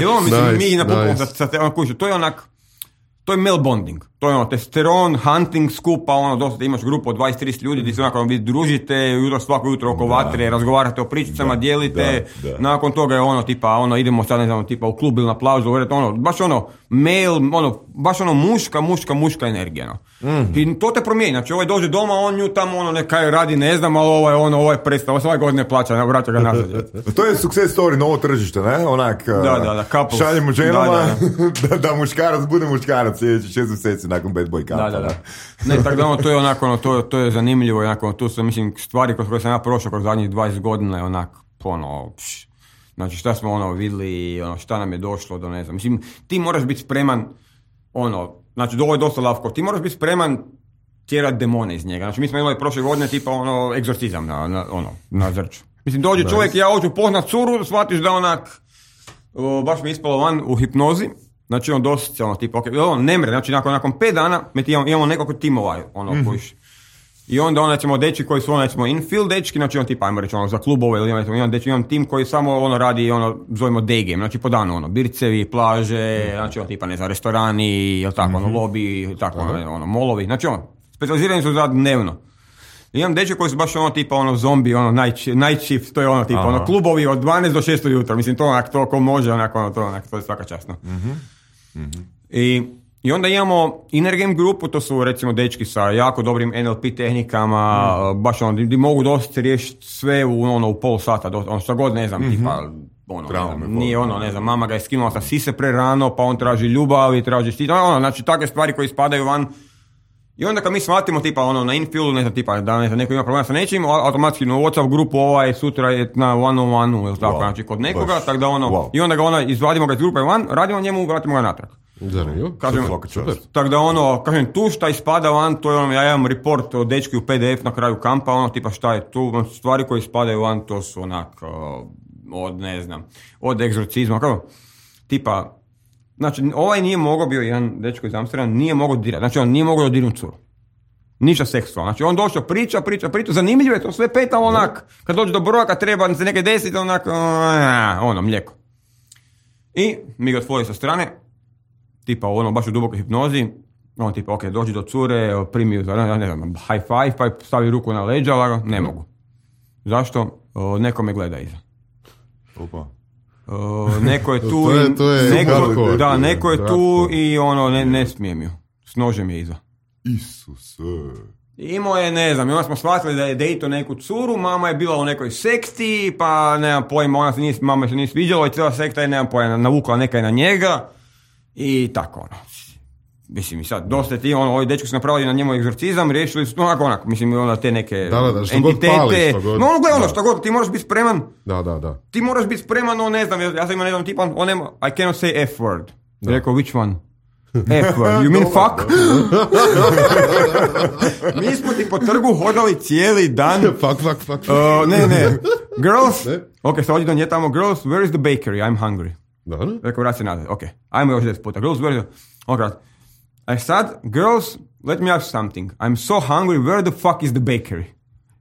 i ono, mislim, nice, mi napokon, nice. sa, sa, ono, kuću, to je onak, to je male bonding, to je ono, testosteron, hunting skupa, ono, dosta imaš grupu od dvadeset trideset ljudi gdje se onako vi družite, jutro, svako jutro oko vatre, razgovarate o pričicama, da, dijelite, da, da. Nakon toga je ono, tipa, ono, idemo sad, ne znam, tipa, u klub ili na plažu, ono, baš ono, male, ono, baš ono, muška, muška, muška energija, no. Mm. I to te promijeni, znači, ovaj dođe doma, on nju tamo, ono, nekaj radi, ne znam, ali ovo je ono, ovo je predstav, ovo godine plaća, ne, vraća ga nazad. To je success story, novo tržište, ne, onak, da, da, da, couples. Šaljemo ženama, da, da, da. da, da muškarac bude muškarac sljedeći šest mjeseci nakon bad boy kampa. Da, da, da. Ne, tako da ono, to je onako, ono, to, to je zanimljivo, onako, tu su, mislim, stvari kroz koje sam ja prošao kroz zadnjih dvadeset godina je onak, ono, pš, znači šta smo ono vidjeli, ono, šta nam je došlo do, ne znam, mislim, ti moraš biti spreman, ono, znači, ovo je dosta lavko, ti moraš biti spreman tjerat demone iz njega, znači, mi smo imali prošle godine, tipa, ono, egzorcizam na, na, ono, na Zrču. Mislim, dođe nice. Čovjek, ja hoću poznat curu, shvatiš da onak, o, baš mi je ispalo van u hipnozi. Znači on doslovce ono tipa, okay, on ne mre, znači nakon, nakon pet dana mi imamo, imamo nekoliko timova, ono, mm-hmm. kojiš. I onda on, recimo, dečki koji su ono, recimo, infield dečki, znači on tipa, ajmo reći, ono, za klubove ili recimo, imam, dečki, imam tim koji samo ono radi, ono, zovemo day game, znači po danu, ono, bircevi, plaže, mm-hmm. znači on tipa, ne znam, restorani, ili tako, mm-hmm. ono, lobby, tako, mm-hmm. ono, ono, molovi, znači ono, specializirani su za dnevno. I imam dečki koji su baš ono tipa ono zombi, ono night, night shift, to je ono tipa, aha. ono klubovi od dvanaest do šest ujutro, mislim to onak to ko može, onako ono to, onak, to je svaka časno. Mm-hmm. Mm-hmm. I, I onda imamo inner game grupu, to su recimo dečki sa jako dobrim N L P tehnikama, mm. baš ono, di mogu dosta riješiti sve u, ono, u pol sata, do, ono što god ne znam, mm-hmm. tipa, ono, Traume, ne znam, nije ono, ne znam, mama ga je skinula sa sise pre rano, pa on traži ljubav i traži štit, ono, znači takve stvari koje spadaju van. I onda kad mi shvatimo tipa ono na infieldu, ne znam, tipa da ne znam, neko ima problema sa nečim, automatski na WhatsApp grupu ovaj sutra je na one on one ili tako, wow. znači kod nekoga, tako da ono, wow. i onda ga ona, izvadimo ga iz grupe van, radimo njemu, vratimo ga natrag. Kažem, tako da ono, kažem, tu šta ispada van, to je ono, ja imam report od dečki u P D F na kraju kampa, ono, tipa šta je tu, stvari koje ispadaju van, to su onak, od, ne znam, od egzorcizma, kako, tipa, znači, ovaj nije mogao, bio jedan dečko iz Amsterdama, nije mogao dirati, znači on nije mogao dodirnuti curu. Ništa seksualno. Znači on došao, priča, priča, priča, zanimljivo je to, sve peta onak, kad dođe do broja, kad treba se neke desiti, onak, ono, mlijeko. I mi ga otvori sa strane, tipa ono, baš u dubokoj hipnozi, on tipa, ok, dođi do cure, primi ju, ne znam, high five, pa stavi ruku na leđa, ne mogu. Zašto? O, neko me gleda iza. Opa. Uh, neko je tu, to je, to je neko, hardcore, da, neko je tu i ono, ne, ne smijem ju. S nožem je iza. Isuse. Imao je, ne znam, onda smo shvatili da je dejto neku curu, mama je bila u nekoj sekti, pa nemam pojma, ona se nije, mama se nije sviđala i cijela sekta je, nemam pojma, navukla nekaj na njega i tako ono. Mislim, i sad, dosta ti, ono, ovi dečki su napravili na njemu egzorcizam, riješili su, onako, onako, mislim, onda te neke da, da, da, entitete. Pali, god, no, ono, gledaj, ono, da. što god, ti moraš biti spreman. Da, da, da. Ti moraš biti spreman, no, ne znam, ja sam imao, ne znam, tipa, on nema, I cannot say F word. Rekao, which one? F word, you mean fuck? Mi smo ti po trgu hodali cijeli dan. Fuck, fuck, fuck. Uh, ne, ne. Girls, ok, sad ođi do nje tamo, girls, where is the bakery? I'm hungry. Da, ne? Rekao, vrati se nazad, ok. Ajmo još deset puta. Girls, where is the... Ok, a sad, girls, let me ask something. I'm so hungry, where the fuck is the bakery?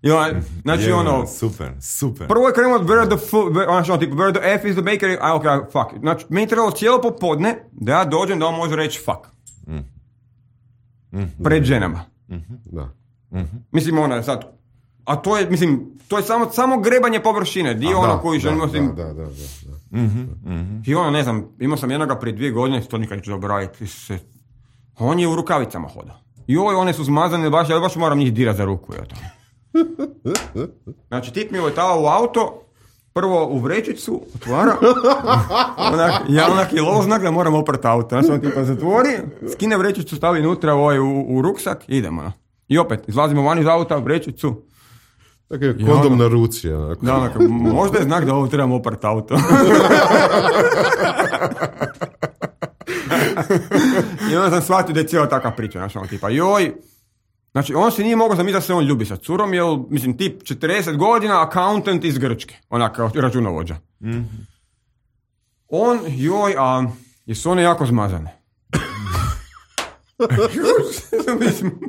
I ona, znači yeah, ono... Super, super. Prvo je krenuo, where the fuck, ono tipo, where the F is the bakery, a ok, fuck. Znači, meni trebalo cijelo popodne da ja dođem da on može reći fuck. Mm. Mm-hmm. Pred ženama. Mm-hmm. Da. Mm-hmm. Mislim, ona sad, A to je, mislim, to je samo, samo grebanje površine, dio ono koji želimo... Da, da, da, da, da. Mm-hmm, mm-hmm. I ono, ne znam, imao sam jednoga prije dvije godine, to nikad neću zaboraviti, se... on je u rukavicama hodao. Joj, one su zmazane, baš, ja baš moram njih dirati za ruku. Ja, znači, tip mi je letao u auto, prvo u vrećicu, otvara, onak, ja onak je loznak da moram oprati auto. Znači, on tipa zatvori, skine vrećicu, stavi unutra ovaj, u, u ruksak, idemo. No. I opet, izlazimo van iz auta, vrećicu. Tako je kondom na ruci. Onako. Da, onako, možda je znak da ovo trebamo oprati auto. I onda sam shvatio da je cijela takva priča, znači on tipa, joj, znači on si nije mogao zamisliti da se on ljubi sa curom, jer, mislim, tip četrdeset godina, accountant iz Grčke, onak, računovođa. Mm-hmm. On, joj, a jesu one jako zmazane? Mislim,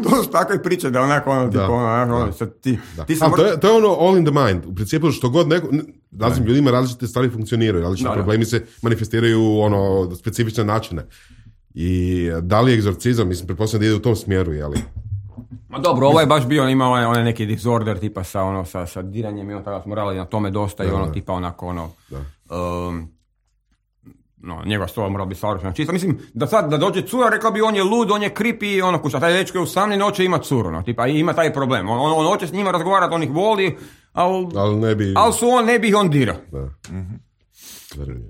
to su takve priče da onako, ono, tipa, ono, ono, sad ti, ti sam... to, je, to je ono all in the mind, u principu što god neko, različitim ljudima različite stvari funkcioniraju, različite da, problemi da. se manifestiraju ono, specifične načine. I da li je egzorcizam, mislim, pretpostavljam da ide u tom smjeru, jeli? Ma dobro, ovo je baš bio, ima onaj, onaj neki disorder tipa sa, ono, sa, sa diranjem i ono, tada smo radili na tome dosta da, i ono, da. tipa onako, ono, um, no, njegova stola mora biti savršena čista. Mislim, da sad, da dođe cura, rekla bi on je lud, on je creepy, ono, kuća, taj dečko je usamljen, hoće ima curu, no, tipa, ima taj problem. On, on, on hoće s njima razgovarati, on ih voli, ali al ne bi... al su on, ne bi ih on dirao. Mm-hmm.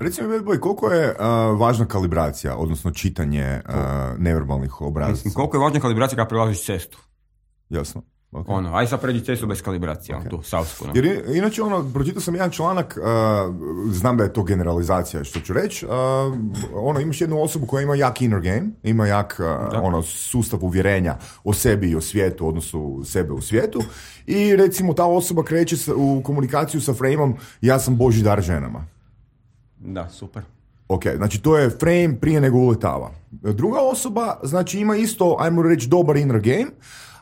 Recimo, Bedboj, koliko je uh, važna kalibracija, odnosno čitanje uh, neverbalnih obrazaca? Mislim, koliko je važna kalibracija kada prelaziš cestu? Jasno. Okay. Ono, aj sad pređi cestu bez kalibracije, okay. on tu, savsku. No. Jer inače, ono, pročitao sam jedan članak, uh, znam da je to generalizacija, što ću reći, uh, ono, imaš jednu osobu koja ima jak inner game, ima jak uh, ono, sustav uvjerenja o sebi i o svijetu, odnosno sebe u svijetu, i recimo ta osoba kreće u komunikaciju sa frameom ja sam Božji dar ženama. Da, super. Ok, znači to je frame prije nego uletava. Druga osoba, znači ima isto, ajmo reći, dobar inner game,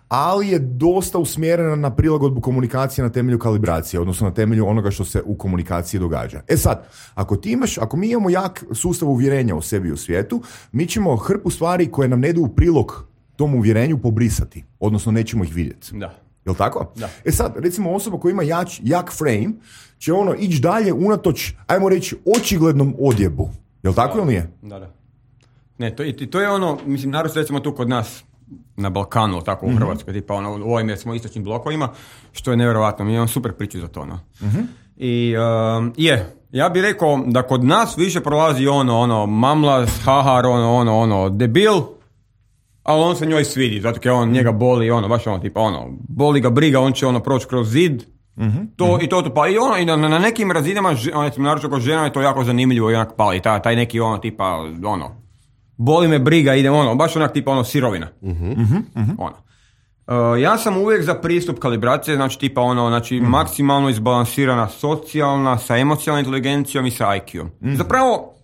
ali je dosta usmjerena na prilagodbu komunikacije na temelju kalibracije, odnosno na temelju onoga što se u komunikaciji događa. E sad, ako ti imaš, ako mi imamo jak sustav uvjerenja o sebi i u svijetu, mi ćemo hrpu stvari koje nam ne idu u prilog tom uvjerenju pobrisati, odnosno nećemo ih vidjeti. Da. Jel' tako? Da. E sad, recimo osoba koja ima jak, jak frame će ono ići dalje unatoč, ajmo reći, očiglednom odjebu. Jel' tako ili nije? Da, da. Ne, to, to je ono, mislim, naravno recimo tu kod nas na Balkanu, tako u Hrvatskoj, mm-hmm. tipa ono, u ovim smo istočnim blokovima, što je nevjerojatno, mi imamo super priču za to, no. Mm-hmm. I um, je, ja bih rekao da kod nas više prolazi ono, ono, mamlas, hahar, ono, ono, ono, debil, ali on se njoj svidi, zato jer on njega boli, ono, baš ono, tipa, ono, boli ga briga, on će ono proći kroz zid, mm-hmm. to mm-hmm. i to to pa i ono, i na, na nekim razinama, ono, naročito kod žena je to jako zanimljivo i onak pali, taj, taj neki ono, tipa, ono, boli me briga, idem ono, baš onak tipa ono sirovina. Mm-hmm. Mm-hmm. Ono. Uh, ja sam uvijek za pristup kalibracije, znači tipa ono, znači mm-hmm. maksimalno izbalansirana socijalna, sa emocionalnom inteligencijom i sa I Q-om. Mm-hmm. Zapravo,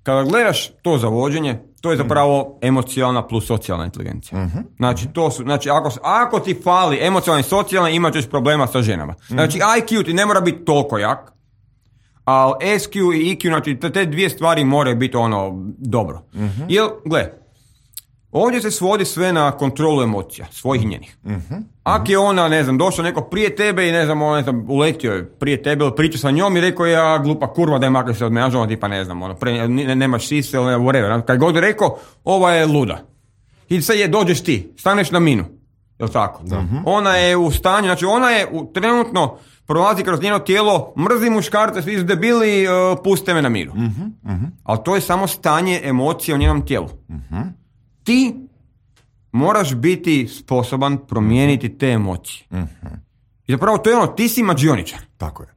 kada gledaš to zavođenje, to je zapravo emocionalna plus socijalna inteligencija. Mm-hmm. Znači, to su, znači ako, ako ti fali emocionalna i socijalna, imat ćeš problema sa ženama. Mm-hmm. Znači, I Q ti ne mora biti toliko jak, ali S Q i E Q, znači te dvije stvari moraju biti ono dobro. Mm-hmm. Jer, gle, ovdje se svodi sve na kontrolu emocija, svojih njenih. Mm-hmm. Ako je ona, ne znam, došao neko prije tebe i ne znam, on, ne znam, uletio je prije tebe ili pričao sa njom i rekao ja glupa kurva da je makar se od mene, ono tipa ne znam, ono, pre, ne, nemaš sise ili whatever. Kad god je rekao, ova je luda. I sad je, dođeš ti, staneš na minu. Jel' tako? Mm-hmm. Ona je u stanju, znači ona je u, trenutno prolazi kroz njeno tijelo, mrzi muškarce, svi su debili, uh, puste me na miru. Mm-hmm. Mm-hmm. Ali to je samo stanje emocije u njenom tijelu. Mm-hmm. Ti moraš biti sposoban promijeniti te emocije. Mm-hmm. I zapravo to je ono, ti si mađioničar. Tako je.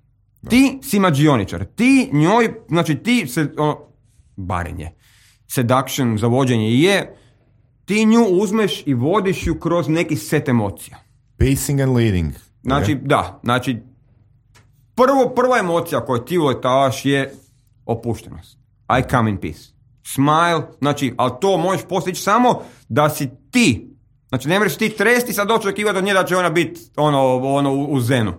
Da. Ti si mađioničar. Ti njoj, znači ti se, ono, barenje, seduction, zavođenje je, ti nju uzmeš i vodiš ju kroz neki set emocija. Pacing and leading. Znači, okay. da, znači, prvo, prva emocija koju ti uletavaš je opuštenost. I come in peace. Smile, znači, ali to možeš postići samo da si ti. Znači, ne možeš ti tresti, sad doći očekivati od nje da će ona biti ono, ono u, u zenu.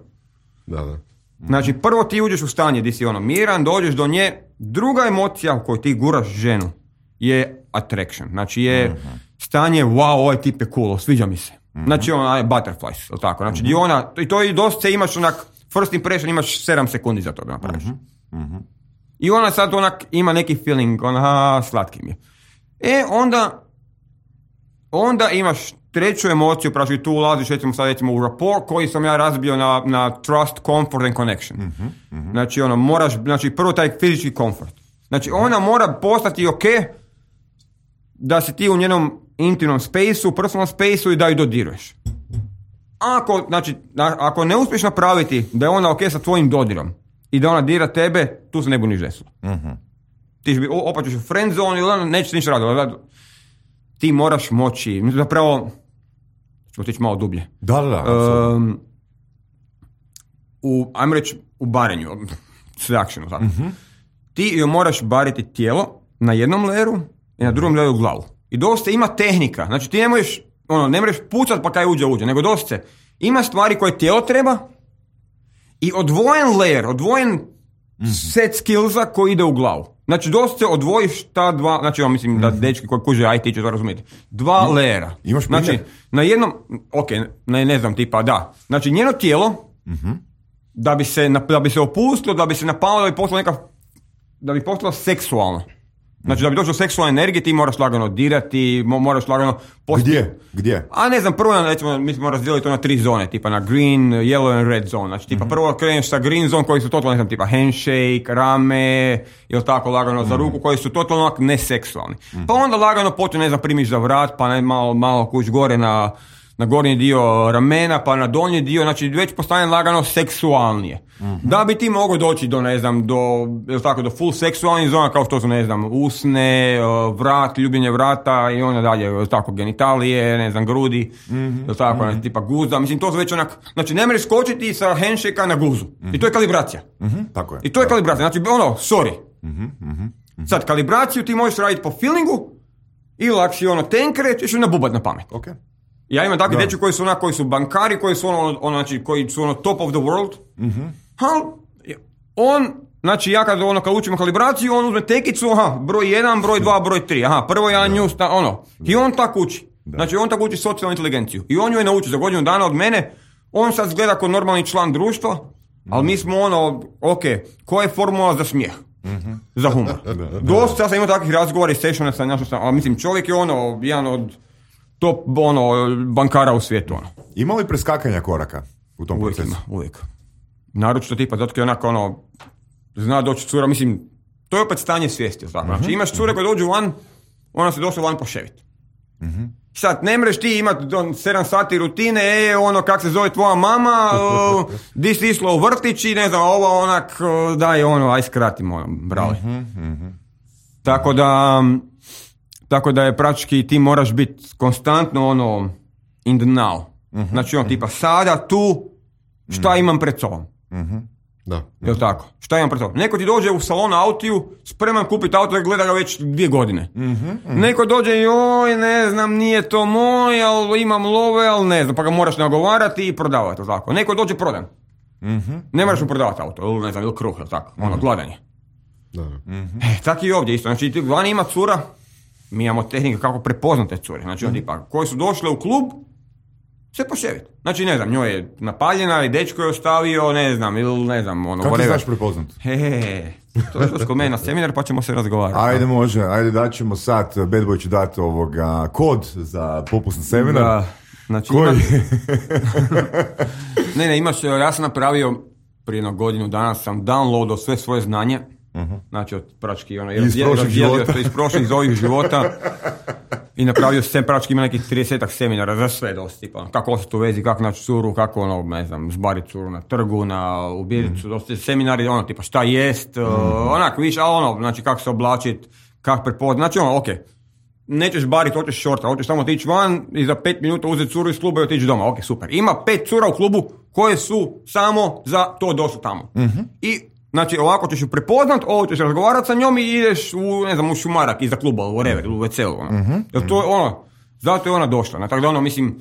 Da, da. Znači, prvo ti uđeš u stanje gdje si ono miran, dođeš do nje. Druga emocija u kojoj ti guraš ženu je attraction. Znači, je mm-hmm. stanje, wow, ovaj tip je cool, sviđa mi se. Mm-hmm. Znači ona je butterflies, ili tako. Znači mm-hmm. di ona, i to i dosta imaš onak, first impression imaš sedam sekundi za to da napraviš. Mm-hmm. Mm-hmm. I ona sad onak ima neki feeling, ona, slatki mi je. E, onda, onda imaš treću emociju, pravi tu ulaziš, recimo sad recimo u rapport koji sam ja razbio na, na trust, comfort and connection. Mm-hmm. Mm-hmm. Znači ono, moraš, znači prvo taj fizički comfort. Znači ona mora postati ok da si ti u njenom intimnom spaceu, personal spaceu i da ju dodiruješ. Ako, znači, ako ne uspiješ napraviti da je ona ok sa tvojim dodirom i da ona dira tebe, tu se ne buniš desilo. Mm-hmm. Ti ćeš opet ćeš u friend zone ili nećeš ništa raditi. Ti moraš moći, zapravo, ćemo tići malo dublje. Da, da, da. Um, u, ajmo reći, u barenju, seductionu, tako. Mm-hmm. Ti joj moraš bariti tijelo na jednom leru i na drugom leru glavu. I dosta ima tehnika. Znači ti ne možeš, ono, ne možeš pucat pa kaj uđe, uđe, nego dosta ima stvari koje tijelo treba i odvojen layer, odvojen mm-hmm. set skillsa koji ide u glavu. Znači dosta odvojiš ta dva, znači ja mislim mm-hmm. da dečki koji kuže I T će to razumjeti. Dva mm-hmm. lejera. Imaš primjer? Znači na jednom, ok, ne, ne znam tipa, da. Znači njeno tijelo mm-hmm. da bi se, da bi se opustilo, da bi se napalo, da bi postalo neka, da bi postalo seksualno. Znači da bi došlo seksualne energije ti moraš lagano dirati, moraš lagano postati... Gdje? Gdje? A ne znam, prvo recimo, mi smo razdijelili to na tri zone, tipa na green, yellow and red zone. Znači tipa mm-hmm. prvo kreneš sa green zone koji su totalno, ne znam, tipa handshake, rame, ili tako lagano mm-hmm. za ruku koji su totalno neseksualni. Mm-hmm. Pa onda lagano potom, ne znam, primiš za vrat, pa ne, malo, malo kuć gore na, na gornji dio ramena, pa na donji dio, znači već postane lagano seksualnije. Mm-hmm. Da bi ti mogao doći do, ne znam, do, ili tako, do full seksualnih zona, kao što su, ne znam, usne, vrat, ljubljenje vrata i onda dalje, ili tako, genitalije, ne znam, grudi, mm-hmm. ili tako, mm-hmm. tipa guza, mislim, to su već onak, znači ne možeš skočiti sa handshake-a na guzu. Mm-hmm. I to je kalibracija. Mm-hmm. Tako je. I to je kalibracija, znači, ono, sorry. Mm-hmm. Mm-hmm. Sad, kalibraciju ti možeš raditi po feelingu, ili ako si ono tenkere, ćeš ju nabubat na pamet. Ok. Ja imam takvi dečki koji su onak, koji su bankari, koji su ono, ono, znači, koji su ono top of the world. Mm-hmm. Ha, on, znači ja kad, ono, kad učimo kalibraciju, on uzme tekicu, aha, broj jedan, broj dva, broj tri, aha, prvo ja nju, sta, ono, i on tako uči. Da. Znači on tako uči socijalnu inteligenciju. I on ju je nauči za godinu dana od mene, on sad gleda kao normalni član društva, mm-hmm. ali mi smo ono, ok, koja je formula za smijeh? Mm-hmm. Za humor. Da, da, da. Dosta, ja sam imao takvih razgovora i sessiona sa našom, ali mislim, čovjek je ono, jedan od top, ono, bankara u svijetu, ono. Ima li preskakanja koraka u tom uvijek procesu? Ima, uvijek. Naročito tipa, zato je onako ono, zna doći cura, mislim, to je opet stanje svijesti, tako. Uh-huh. Znači imaš cure koje dođu van, ona se došla van poševiti. Uh-huh. Sad, ne mreš ti imati sedam sati rutine, e, ono, kak se zove tvoja mama, uh, di si išla u vrtić i ne znam, ovo onak, uh, daj ono, aj skratim, ono, brale. Uh-huh. Uh-huh. Tako da, tako da je praktički ti moraš biti konstantno ono, in the now. Uh-huh. Znači on tipa, sada, tu, šta uh-huh. imam pred sobom. Uh-huh. Da. Jel tako? Šta imam pred sobom? Neko ti dođe u salon autiju, spreman kupiti auto i gleda ga već dvije godine. Uh-huh. Uh-huh. Neko dođe, joj, ne znam, nije to moj, ali imam love, ali ne znam, pa ga moraš nagovarati i prodavati, tako. Neko dođe prodan. Uh-huh. Ne moraš mu prodavati auto, ili ne znam, ili kruh, ili tako. Uh-huh. Ono, gladan je. Da. Uh-huh. E, tako i ovdje isto. Znači, vani ima cura, mi imamo tehnike kako prepoznate cure. Znači, uh-huh. tipa, koji su došle u klub, se poševiti. Znači, ne znam, njoj je napaljena i dečko je ostavio, ne znam, ili ne znam, ono... Kako ti znaš prepoznat? He, he, to je što kod mene na seminar, pa ćemo se razgovarati. Ajde, može, ajde daćemo sad, Bad Boy će dati ovoga kod za popusni seminar. Da, znači... Koji? Imaš... ne, ne, imaš, ja sam napravio, prije jednog godinu dana sam downloadao sve svoje znanje, uh-huh. znači od prački, ono, iz prošlih života. Iz prošlih, iz ovih života. I napravio sam, prački ima nekih tridesetak seminara za sve dosta, tipa, kako ostati u vezi, kako naći curu, kako, ono, ne znam, zbariti curu na trgu, na ubiricu, mm. dosta seminari, ono, tipa, šta jest, mm. uh, onak, viš, ali ono, znači, kako se oblačiti, kako prepoznati, znači, ono, okej, okay. Nećeš bariti, hoćeš šorta, hoćeš samo otići van i za pet minuta uzeti curu iz kluba i otići doma, ok, super. Ima pet cura u klubu koje su samo za to došli tamo. Mm-hmm. I znači, ovako ćeš ju prepoznat, ovo ćeš razgovarati sa njom i ideš u, ne znam, u šumarak iza kluba, u whatever, u ve ce u, ono. Mm-hmm. Jer to je ono, zato je ona došla. Tako da ono, mislim,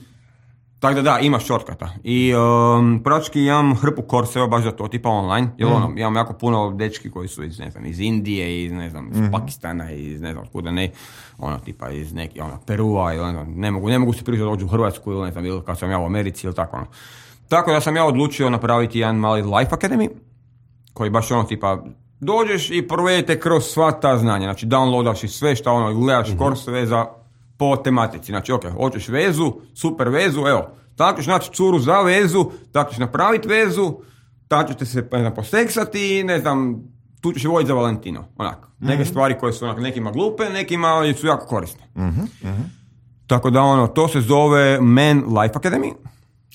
Tako da da, ima shortcuta. I um, praktički imam hrpu korseva baš za to, tipa online, jer mm. ono, imam jako puno dečki koji su iz, ne znam, iz Indije, iz, ne znam, iz mm. Pakistana, iz, ne znam, kuda ne, ono, tipa iz neki, ono, Perua, ili, ne znam, ne mogu, ne mogu se prići da dođu u Hrvatsku, ili ne znam, ili kad sam ja u Americi, ili tako, ono. Tako da sam ja odlučio napraviti jedan mali Life Academy, koji baš ono, tipa, dođeš i provedete kroz sva ta znanja, znači downloadaš i sve što ono, gledaš mm-hmm. korseve za po tematici, znači ok, hoćeš vezu, super vezu, evo, tako ćeš naći curu za vezu, tako ćeš napraviti vezu, tako ćete se, ne znam, poseksati, ne znam, tu ćeš voditi za Valentino, onak, mm-hmm. neke stvari koje su onak, nekima glupe, nekima su jako korisne. Mm-hmm. Mm-hmm. Tako da ono, to se zove Men Life Academy.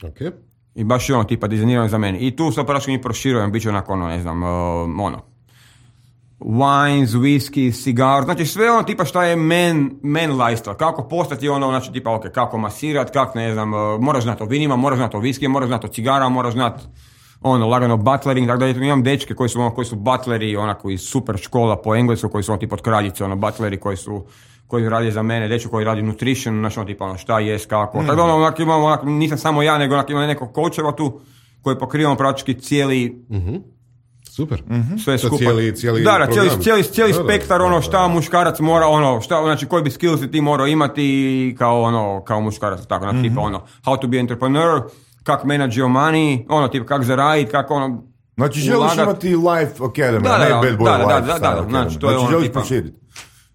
Okay. I baš je ono, tipa, dizajnirano za mene. I tu sad praško mi proširujem, bit će onako, ono, ne znam, uh, ono, wines, whisky, cigar, znači sve ono tipa šta je men, men lifestyle, kako postati ono, znači tipa ok, kako masirat, kako ne znam, uh, moraš znati o vinima, moraš znati o whisky, moraš znati o cigara, moraš znati ono, lagano butlering, tako da imam dečke koji su, ono, koji su butleri, onako iz super škola po englesku, koji su ono tipa od kraljice, ono, butleri koji su, koji radi za mene, dečko koji radi nutrition, znači ono tipa ono, šta jest, kako, mm. tako da ono, onako imam, onako, nisam samo ja, nego onako imam neko coacheva tu, koji pokrivamo praktički cijeli, mm-hmm. Super. Mm-hmm. Sve skupa. Cijeli, cijeli da, da, cijeli, cijeli, cijeli da, spektar, da, ono, da, šta da. muškarac mora, ono, šta, znači, koji bi skillsi ti morao imati kao, ono, kao muškarac, tako, znači, mm-hmm. tipa, ono, how to be entrepreneur, kak manage your money, ono, tipa, kak zaraditi, kako, ono, znači, želiš ulagat. imati Life Academy, da, ne da, Bad Boy da, da, Life. Da, da, da, znači, to je znači, ono, želiš tipa. proširiti.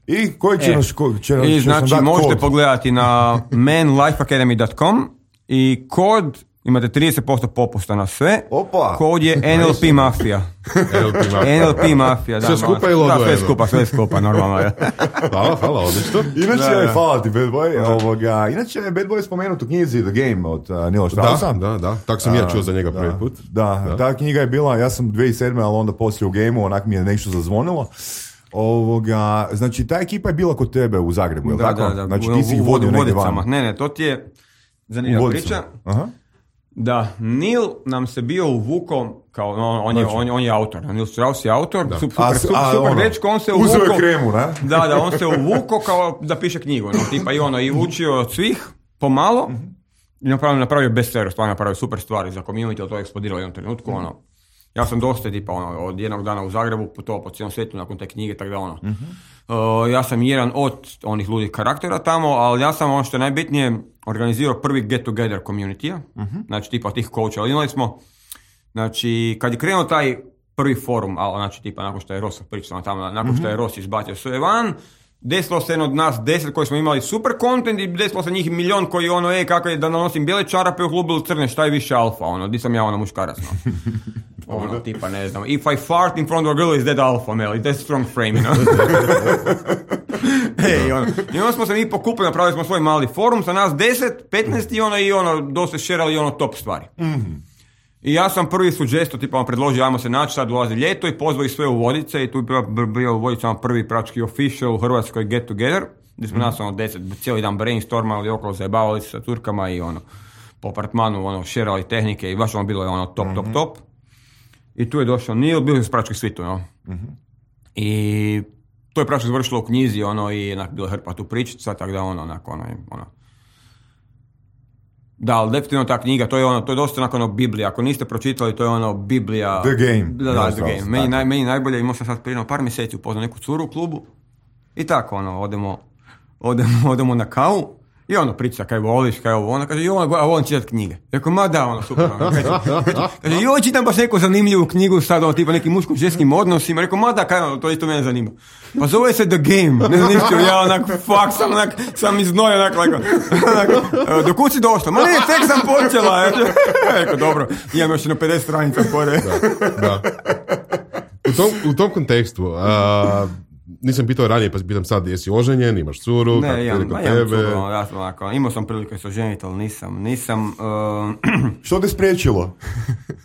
I koji će e, nas, ko, će, I, će znači, sam možete kod. pogledati na men life academy dot com i kod imate trideset posto popusta na sve. Opa. Kod je N L P Mafija. N L P Mafija. N L P Mafija, da. Sve skupa ili odvojeno? Da, sve skupa, sve skupa, normalno je. Hvala, hvala, odlično. Inače, Da, da. hvala ti, Bad Boy. Ovoga, inače, Bad Boy je spomenut u knjizi The Game od uh, Nila Straussa. Da, da, da. Tako sam ja čuo za njega da, prvi put. Da, da, ta knjiga je bila, ja sam dvije tisuće sedme, ali onda poslije u Gameu, onak mi je nešto zazvonilo. Ovoga, znači, ta ekipa je bila kod tebe u Zagrebu, je li Da, tako? da, da. Znači, U- ti si ih u- vodio u negdje Vodicama. van. Ne, ne, to ti je U zanimljiva Vodicama. priča. Aha. Da, Neil nam se bio uvuko, kao, no, on, je, Znači. on, on je autor, Neil Strauss je autor, A, super, a, super, super ono, dečko, on se uzeo je uvuko, kremu, ne? da, da, on se uvuko kao da piše knjigu, no, tipa i ono, i učio od svih, pomalo, mm-hmm. i napravio, napravio bestseller, stvarno napravio super stvari za community, ali to je eksplodiralo u jednom trenutku, mm-hmm. ono, ja sam dosta, tipa, ono, od jednog dana u Zagrebu putovao po cijelom svijetu nakon te knjige, tako da, ono, mm-hmm. uh, ja sam jedan od onih ludih karaktera tamo, ali ja sam, ono što je najbitnije, organizirao prvi get together community-a, uh-huh. znači tipa tih coacha, ali imali smo, znači kad je krenuo taj prvi forum, ali znači tipa nakon što je Ross pričao tamo, nakon uh-huh. što je Ross izbacio sve van, desilo se jedno od nas deset koji smo imali super content i desilo se njih milion koji ono, e, kako je da nosim bijele čarape u klubu ili crne, šta je više alfa, ono, di sam ja ono muškarac, no. Ono, tipa, ne znam, if I fart in front of a girl is that alpha male, that's strong frame, you know. Hey, ono. I onda smo se mi pokupili, napravili smo svoj mali forum sa nas deset, petnaest i ono, i ono, dosta šerali ono top stvari. Mm-hmm. I ja sam prvi suđesto, tipa, predložio, ajmo se naći, sad dolazi ljeto i pozvao ih sve u Vodice i tu je bio, bio u Vodicama prvi praktički official u Hrvatskoj get together, gdje smo mm-hmm. nas ono deset, cijeli dan brainstormali okolo, zajebavali se sa curkama i ono, po apartmanu, ono, šerali tehnike i baš ono bilo je ono top, mm-hmm. top, top. I tu je došao Neil, bili su praktički svi tu, no. Mm-hmm. I to je praktički završilo u knjizi, ono, i onak bilo hrpa tu pričica, tako da ono, onako, ono, ono. Da, ali definitivno ta knjiga, to je ono, to je dosta onako ono Biblija, ako niste pročitali, to je ono Biblija. The Game. Da, da, The Game. Meni, naj, meni najbolje, imao sam sad prije par mjeseci upoznao neku curu u klubu i tako, ono, odemo, odemo, odemo na kavu. I ono priča kaj voliš, kaj ovo, ona kaže, joj, ja volim čitati knjige. Rekao, ma da, ono, super. Ono, kaže, kaže, joj, čitam baš neku zanimljivu knjigu sad, ono, tipa nekim muško-ženskim odnosima. Rekao, ma da, kaj, ono, to isto mene zanima. Pa zove se The Game. Ne znam ništa, ja onak, fuck, sam onak, sam iznoj, onak, lako, onak, do kud si došla? Ma ne, tek sam počela. Rekao, dobro, imam još na pedeset stranica pore. Da, da. U tom, u tom kontekstu, uh, nisam pitao ranije, pa pitam sad, jesi oženjen, imaš curu, ne, kako imam, je kod imam tebe? curu, ono, ja sam onako, imao sam prilike se oženiti, ali nisam, nisam... Uh, Što te spriječilo?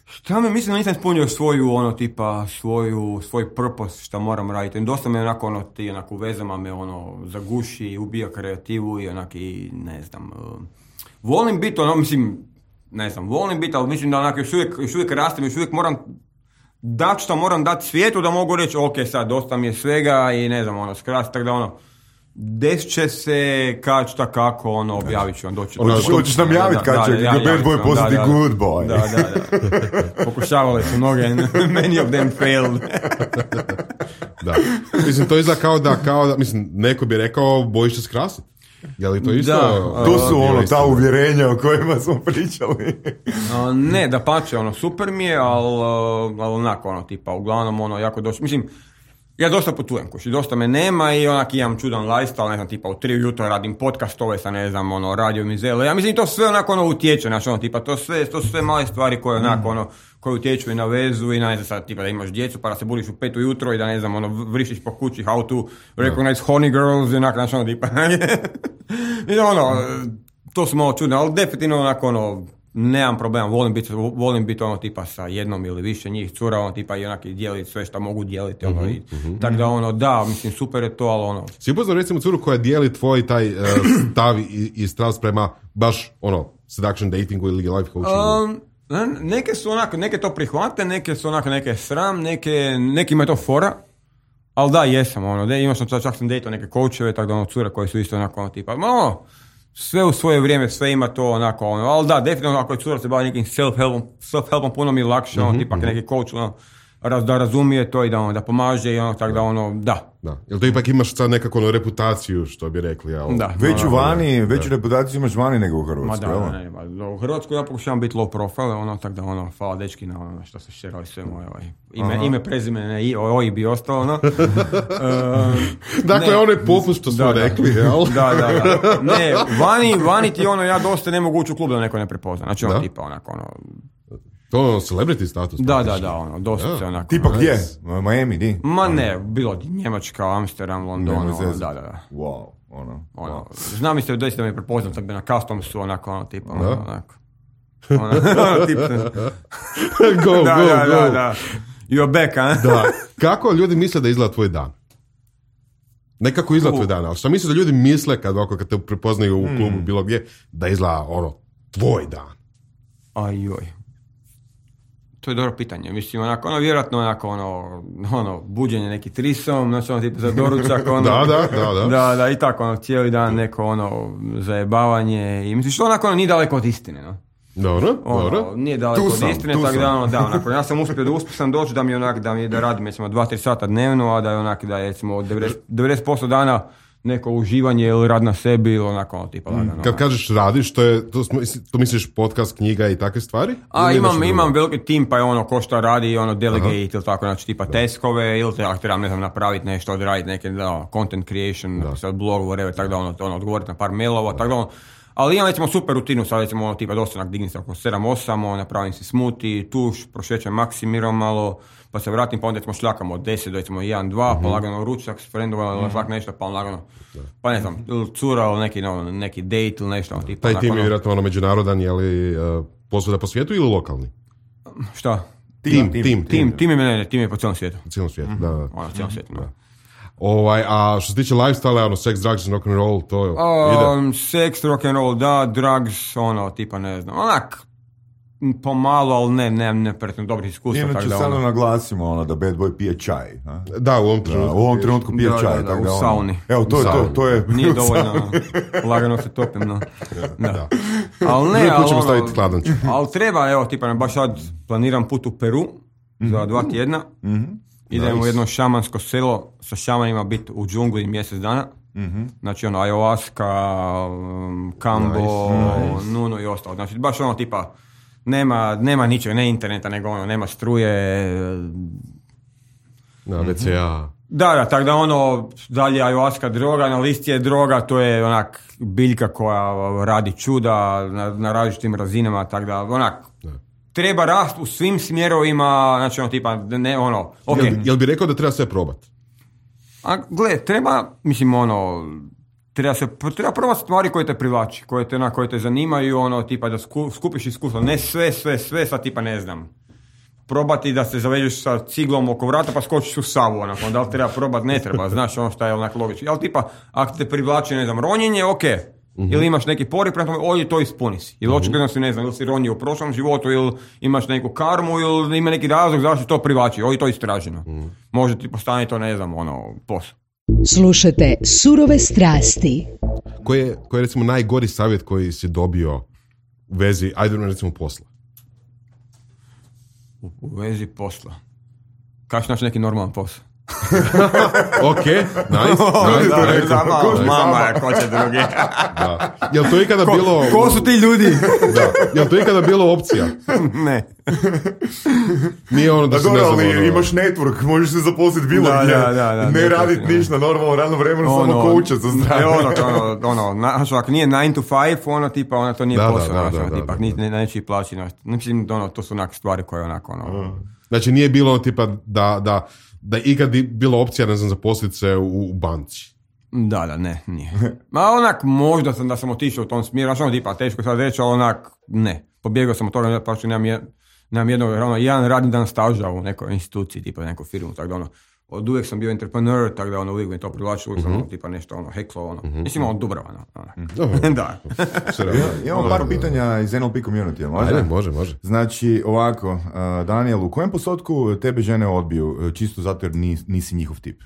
šta me, mislim da nisam ispunio svoju, ono, tipa, svoju, svoj purpose, šta moram raditi. Dosta me onako, ono, ti, onako, u vezama me, ono, zaguši, ubija kreativu i onak, i, ne znam, uh, volim biti, ono, mislim, ne znam, volim biti, ali mislim da onak, još uvijek, još uvijek rastem, još uvijek moram dat što moram dati svijetu da mogu reći, ok, sad, dosta mi je svega i ne znam, ono, skrati, tako da, ono, desit će se, kad šta kako, ono, objavit ću vam doći. Ono, hoćeš nam javiti kad će Bad Boy postati Good Boy. Da, da, da. Pokušavali su mnoge, many of them failed. Da. Mislim, to izgleda kao da, kao da, mislim, neko bi rekao, bojiš se skrasiti. Je li to isto? Da, to su ono, ta uvjerenja o kojima smo pričali. A, ne, da pače, ono, super mi je, ali, ali onako, ono, tipa, uglavnom, ono, jako došlo, mislim, ja dosta putujem, kući, dosta me nema i onak imam čudan lifestyle, ne znam, tipa u tri ujutro radim podcastove sa, ne znam, ono, radio mizele, ja mislim to sve onako, ono, utječe, znači, ono, tipa, to sve, to su sve male stvari koje, onako, ono, koje utječu i na vezu i na, ne znam, sad, tipa, da imaš djecu, pa da se budiš u pet ujutro i da, ne znam, ono, vrištiš po kući, how to recognize honey girls i onak, znači, ono, tipa, i ono, to su malo čudno, ali definitivno, onako, ono, nemam problema, volim biti, volim biti ono tipa sa jednom ili više njih cura, ono tipa i onaki dijeliti sve što mogu dijeliti, ono, uh-huh, i, uh-huh. tako da ono, da, mislim, super je to, ali ono... Si upoznao recimo curu koja dijeli tvoj taj uh, stav i, i strast prema baš, ono, seduction datingu ili life coachingu? Um, neke su onako, neke to prihvate, neke su onako, neke sram, neke, nekima je to fora, ali da, jesam, ono, de, imao sam, čak sam dejtao neke coacheve, tako da ono, cure koje su isto onako, ono, tipa, ono, sve u svoje vrijeme, sve ima to onako, ono, ali da, definitivno ako je cura se bavi nekim self-helpom, self-helpom puno mi je lakše, mm-hmm, ono, tipak mm-hmm. neki coach, ono, raz, da razumije to i da, ono, da pomaže i ono, tako da, ono, da. Da, jel to ipak imaš sad nekako ono, reputaciju, što bi rekli, jel? Da. Veću ono, vani, da. veću reputaciju imaš vani nego u Hrvatskoj, Ma da, ne, ne, ne, u Hrvatskoj ja pokušavam biti low profile, ono, tako da, ono, hvala dečki na ono što se šerali sve moje, ovaj, ime, ime, prezime, ne, i, oj, bi ostalo, ono. uh, dakle, ono je popust što smo da, rekli, jel? Da, da, da. Ne, vani, vani ti, ono, ja dosta ne mogu ući u klub da neko ne prepozna, znači, ono, da? tipa, onako, ono, to je celebrity status. Da, da, da, ono, dosta ja. se onako... Tipa gdje? Miami, di? Ma ne, bilo Njemačka, Amsterdam, London, ono, da, da, da. Wow, ono. ono Wow. znam mi se doista da me prepoznam, tako bi na Customsu, onako, ono, tipa, ono, onako. Ono, ono, tipa... go, da, go, da, go. Da, da. You're back, a? Da. Kako ljudi misle da izgleda tvoj dan? Nekako izgleda tvoj dan, ali što misliš da ljudi misle kad, oko, kad te prepoznaju u klubu, mm. bilo gdje, da izgleda, ono, tvoj dan? Ajoj. To je dobro pitanje. Mislim, onako, ono, vjerojatno, onako, ono, ono, buđenje neki trisom, znači, ono, tipa za doručak, ono. da, da, da, da. Da, da, i tako, ono, cijeli dan neko, ono, zajebavanje i, mislim, što onako, ono, nije daleko od istine, no. Dobro, ono, dobro. Nije daleko tu od sam, istine, tako da, ono, da, onako, ja sam uspio da uspješan doći da mi onak, da mi da radim, recimo, dva tri sata dnevno, a da je onak, da je, recimo, devedeset posto dana neko uživanje ili rad na sebi ili onako, ono, tipa, lagano. Kad kažeš radiš, to je, to, to misliš podcast, knjiga i takve stvari? A imam, imam veliki tim, pa je ono ko što radi, ono delegate ili tako, znači tipa da. Teskove ili te, ako trebam, ne znam, napraviti nešto, odraditi neke, da, content creation, sad blog, whatever, tako da, ono, ono, odgovoriti na par mailova, tako da, ono, ali imam, recimo, super rutinu, sad, recimo, ono, tipa, dosta, dignim se oko sedam osam, ono, napravim si smoothie, tuš, prošećem Maksimirom malo, pa se vratim, pa onda recimo šljakamo od deset do recimo jedan dva, mm-hmm. pa lagano ručak s frendova, mm-hmm. šlak nešto, pa lagano, da. Pa ne znam, cura ili neki, no, neki date ili nešto. Tipa, taj tim je ono, vjerojatno ono međunarodan, je li uh, posvuda po svijetu ili lokalni? Šta? Tim, tim, tim. Tim, tim je, ne, ne, tim je po cijelom svijetu. Po cijelom svijetu, mm-hmm. da, da. Ono, cijelom svijetu, da. Ovaj, a što se tiče lifestyle, ono, sex, drugs, rock and roll, to je, um, ide? Sex, rock and roll, da, drugs, ono, tipa, ne znam, onak, pomalo, ali ne, ne, ne pretno dobrih iskustva. Inače, da, samo ono, naglasimo ono da Bad Boy pije čaj. A? Da, u ovom trenutku. Da, u ovom trenutku pije da, čaj. Da, da, tako u da, sauni. Evo, to je to, to je... Nije dovoljno, lagano se topim, no. Da. Da. Ali ne, ali ali, staviti hladan čaj. Ali treba, evo, tipa, baš sad planiram put u Peru mm-hmm. za dva tjedna. Mm-hmm. Idemo nice. u jedno šamansko selo sa šamanima biti u džungli mjesec dana. Mm-hmm. Znači ono ayahuasca, um, kambo, nice, nice. nuno i ostalo. Znači baš ono tipa nema, nema ničega, ne interneta, nego ono, nema struje. Na ve ce a. Da, da, tako da ono, dalje ayahuasca droga, na listi je droga, to je onak biljka koja radi čuda na, na različitim razinama, tako da onak, da. Treba rast u svim smjerovima, znači ono tipa, ne ono, okay. Jel, jel bi rekao da treba sve probati? A gle, treba, mislim ono, treba se, treba probati stvari koje te privlači, koje te, na, koje te zanimaju, ono, tipa da sku, skupiš iskustvo, ne sve, sve, sve, sad tipa ne znam. Probati da se zavežeš sa ciglom oko vrata pa skočiš u Savu, onako, da li treba probati, ne treba, znaš ono što je onak logično. Ali tipa, ako te privlači, ne znam, ronjenje, ok. Mm-hmm. Ili imaš neki pori, prema tome, ovdje to ispuni si. Ili očigledno si, ne znam, ili si ronio u prošlom životu, ili imaš neku karmu, ili ima neki razlog zašto to privlači, ovdje to istraženo. Mm-hmm. Može ti postane to, ne znam, ono, posao. Slušajte Surove strasti. Koji je, koji je recimo najgori savjet koji si dobio u vezi, ajde recimo posla? U, u vezi posla. Kako naći neki normalan posao? Ok, nice, nice. Da, nice. da, mama, mama, ko će drugi? Da. Jel to ikada Ko, bilo... ko su ti ljudi? Da. Jel to ikada bilo opcija? Ne. Nije ono da, Da se ne dobro, znam... ali ono- imaš network, možeš se zaposliti bilo Da, gdje. da, da, da, ne da, radit da, da. ništa, normalno, radno vremeno, samo Ono, koučat sa e, strane. ono, to, ono, ono, na, znači, ako nije nine to five, ono, tipa, ono, to nije Da, da, posao, da, znači, da, ono, da, tipa, da, ni- da. ne, neće i plaći, znači, mislim, ono, to su onak stvari koje, onako, ono, Znači nije bilo tipa da, da, da ikad bi bila opcija, ne znam, zaposliti se u, u banci. da, da, ne, nije. Ma onak, možda sam da sam otišao u tom smjeru, znači, ono, tipa, teško sad reći, ali onak, ne. Pobjegao sam od toga, pa što nemam, jed, nemam jednog, ono, jedan radni dan staža u nekoj instituciji, tipa, neku firmu, tako da, ono, od uvijek sam bio entrepreneur, tako da, ono, uvijek mi to privlačilo, uvijek sam, ono, tipa, nešto, ono, heklo, ono, mislim, ono, Dubrava, ono, Dobro. da. Sve realno. Imamo par pitanja iz N L P community, može? Ajde, može, može. Znači, ovako, uh, Daniel, u kojem postotku tebe žene odbiju, uh, čisto zato jer nis, nisi njihov tip?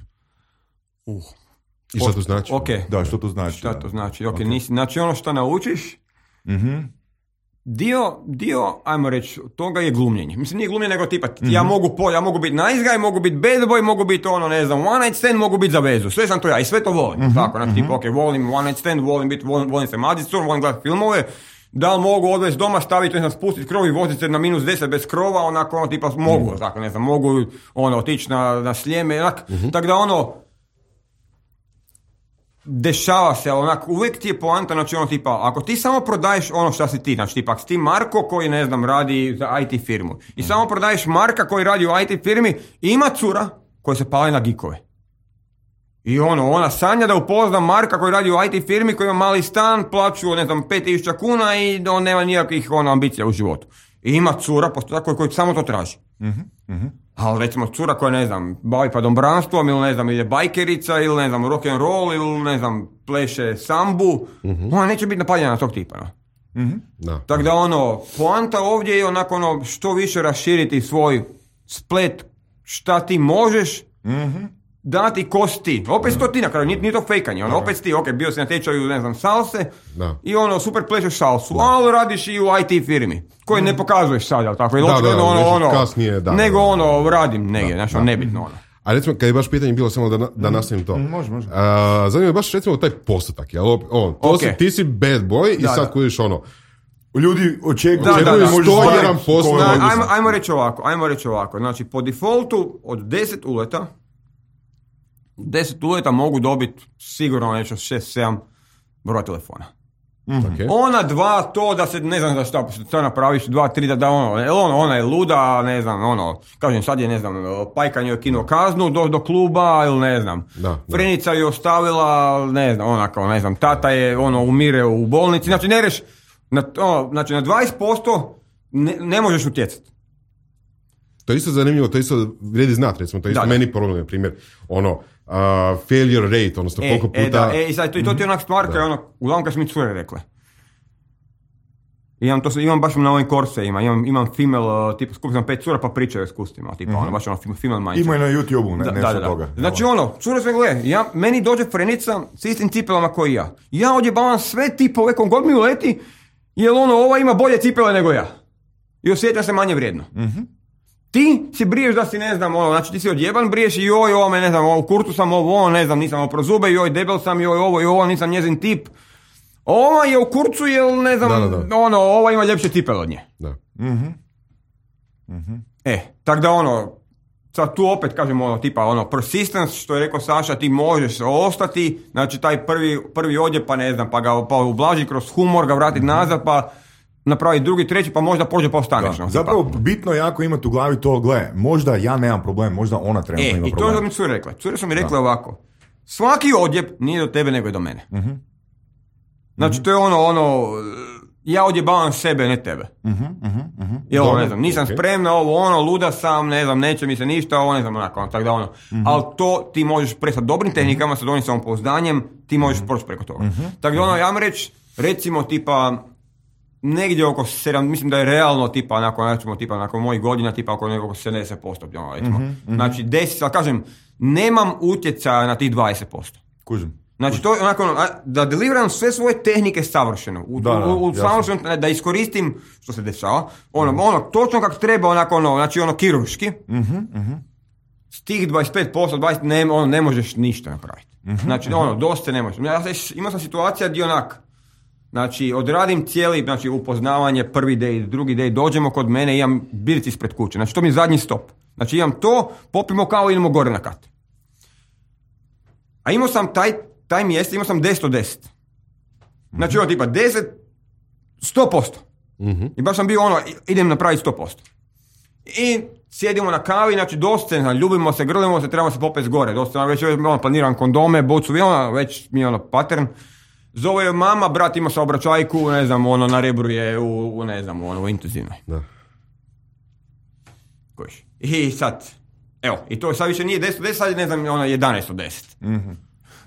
Uh. I šta to znači? Ok, Da, što to znači? šta to znači, ok, Ok. nisi, znači ono što naučiš, Mhm. Dio, dio, ajmo reći, toga je glumljenje. Mislim, nije glumljenje, nego tipa, ja mogu po, ja mogu biti nice guy, mogu biti bad boy, mogu biti ono, ne znam, one night stand, mogu biti za vezu. Sve sam to ja i sve to volim. Tako, znači, tipa, ok, volim one night stand, volim biti, volim, volim se mazit, volim gledati filmove, da li mogu odvesti doma, staviti, ne znam, spustiti krov i voziti se na minus deset bez krova, onako, ono, tipa, mogu, tako, ne znam, mogu, ono, otići na, na Sljeme, onak, tako da, ono, dešava se, ali onak, uvijek ti je poanta, znači ono tipa, ako ti samo prodaješ ono što si ti, znači tipa, ako si ti Marko koji, ne znam, radi za I T firmu i samo prodaješ Marka koji radi u I T firmi, ima cura koja se pali na gikove. I ono, ona sanja da upozna Marka koji radi u I T firmi koji ima mali stan, plaću, ne znam, pet tisuća kuna i on nema nijakih ono, ambicija u životu. I ima cura posto, koji, koji samo to traži. Ali recimo cura koja, ne znam, bavi padombranstvom ili, ne znam, ili je bajkerica ili, ne znam, rock and roll ili, ne znam, pleše sambu, ona neće biti napaljena na tog tipa. No? Da. Tako da, ono, poanta ovdje je onako, ono, što više raširiti svoj splet šta ti možeš, dati ko si ti. Opet si to ti na kraju, nije, nije to fejkanje. Ono, opet si ti, ok, bio si na tečaju, ne znam, salse Da. i ono, super plešeš salsu, ali radiš i u I T firmi, koji ne pokazuješ sad, jel tako? Ili Da, očigledno, da, ono, nešto ono, kasnije, da, nego da, da. ono, radim negdje, znači, ono, nebitno, ono. A recimo, kad je baš pitanje bilo samo da, na- da nastavim to. može, može. A, zanima me baš recimo taj postotak. Jel? O, to Ok. si, ti si bad boy i Da, sad da. kojiš ono. Ljudi očekuju, Da, da, očekuju da. možeš sto stvariti jedan posto koju- Na, mogu ajmo, sam. ajmo reći ovako, ajmo reći ovako. Znači, po defaultu od deset uleta, deset uleta mogu dobiti sigurno nešto šest sedam broja telefona. Okay. Ona dva, to da se, ne znam da šta, šta napraviš, dva, tri, da, da ono, jel ono, ona je luda, ne znam, ono, kažem, sad je, ne znam, Pajkan joj kinuo kaznu do, do kluba, ili ne znam, Da, da. Frenica je ostavila, ne znam, onako, ne znam, tata je, ono, umire u bolnici, znači, ne reš, na, ono, znači, na dvadeset posto ne, ne možeš utjecati. To je isto zanimljivo, to je isto vrijedi znat, recimo, to je isto Da, da. meni problem, na primjer, ono, uh, failure rate, odnosno E, koliko puta... e, da, e, i sad, to, to ti je onak stvar koja je ono, uglavnom kad su mi cure rekle. Imam, to, imam baš na ovim korseima, imam, imam female, uh, tipa, skupio sam pet cura pa pričaju o iskustvima, tipa, ono, baš ono, female mindset. Ima i na YouTube-u, ne, Da, nešto da, da. toga. Znači ono, cure sve gle, ja, meni dođe frenica s istim cipelama koji ja. Ja odjebavam sve tipove, kom god mi uleti, jer ono, ova ima bolje cipele nego ja. I osjeća se manje vrijedno. Ti si briješ da si, ne znam, ono, znači ti si odjeban, briješ i joj, ovo me, ne znam, ovo, u kurtu sam ovo, ono, ne znam, nisam opro zube, joj, debel sam, joj, ovo i ovo, nisam njezin tip. Ova je u kurcu, jel, ne znam, Da, da, da. ono, ova ima ljepše cipele od nje. Da. E, tak da ono, sad tu opet kažemo ono, tipa ono, persistence, što je rekao Saša, ti možeš ostati, znači taj prvi, prvi odjeb, pa ne znam, pa ga pa ublaži kroz humor, ga vratiti nazad, pa napravi drugi, treći, pa možda pođe pa ostaneš. Da. no, Zapravo, tipa. bitno je jako imati u glavi to, gle, možda ja nemam problem, možda ona trenutno E, ima i to je problem. što mi cure rekla. Cure su mi rekle ovako, svaki odjeb nije do tebe, nego je do mene. Znači, to je ono, ono, ja odjebavam sebe, ne tebe. Jel, Dobro, ne znam, nisam ok. spremna, ovo, ono, luda sam, ne znam, neće mi se ništa, ovo, ne znam, onako, ono, tako da, ono. Ali to ti možeš prestati dobrim tehnikama, sa dobrim samopouzdanjem, ti možeš proći preko toga. Tako da, ono, ja vam reći, recimo, tipa, negdje oko sedam, mislim da je realno tipa nakon, načemo, tipa nakon mojih godina tipa oko nekog sedamdeset posto. Recimo. Mm-hmm, mm-hmm. Znači deset, ali kažem, nemam utjecaja na tih dvadeset posto. Kužim. Znači to je onako, da deliveriram sve svoje tehnike savršeno, u, da, da, u, u savršeno, da iskoristim što se dešava, ono, mm-hmm. ono točno kako treba, onako ono, znači ono kirurški, mm-hmm, mm-hmm. s tih dvadeset pet posto, dvadeset ne, ono, ne možeš ništa napraviti. Mm-hmm, znači mm-hmm. ono, dosta ne možeš. Ja imao sam situacija gdje onak, znači odradim cijeli, znači upoznavanje, prvi day, drugi day, dođemo kod mene, imam biric ispred kuće, znači to mi je zadnji stop. Znači imam to, popimo kao idemo gore na kat. A imao sam taj taj mjesec, imao sam deset od deset. Znači, ono tipa deset, sto posto. Mm-hmm. I baš sam bio ono, idem napraviti sto posto. I sjedimo na kavi, znači dosta, ljubimo se, grlimo se, trebamo se popeti gore. Dosta, već ono, planiram kondome, bocu, ono, već mi je ono pattern. Zove je mama, brat ima saobraćajku, ne znam, ono, na rebru je u, u ne znam, ono, u intenzivnoj. Da. Kojiš. I sad, evo, i to sad više nije deset od deset, sad je, ne znam, ono, jedanaest od deset. Mhm.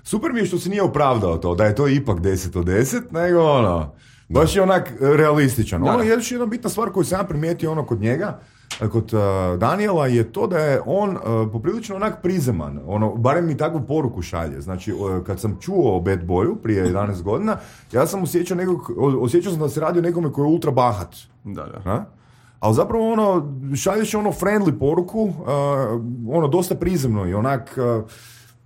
Super mi je što se nije opravdao to, da je to ipak deset od deset, nego ono, baš je onak realističan. Da. Ono je još jedna bitna stvar koju sam ja primijetio ono kod njega, kod uh, Daniela, je to da je on uh, poprilično onak prizeman, ono, barem mi takvu poruku šalje. Znači, uh, kad sam čuo o Bad Boyu prije jedanaest godina, ja sam osjećao nekog, osjećao sam da se radi o nekome koji je ultra bahat. Da, da. Ha? Ali zapravo ono, šalješ ono friendly poruku, uh, ono, dosta prizemno i onak... Uh,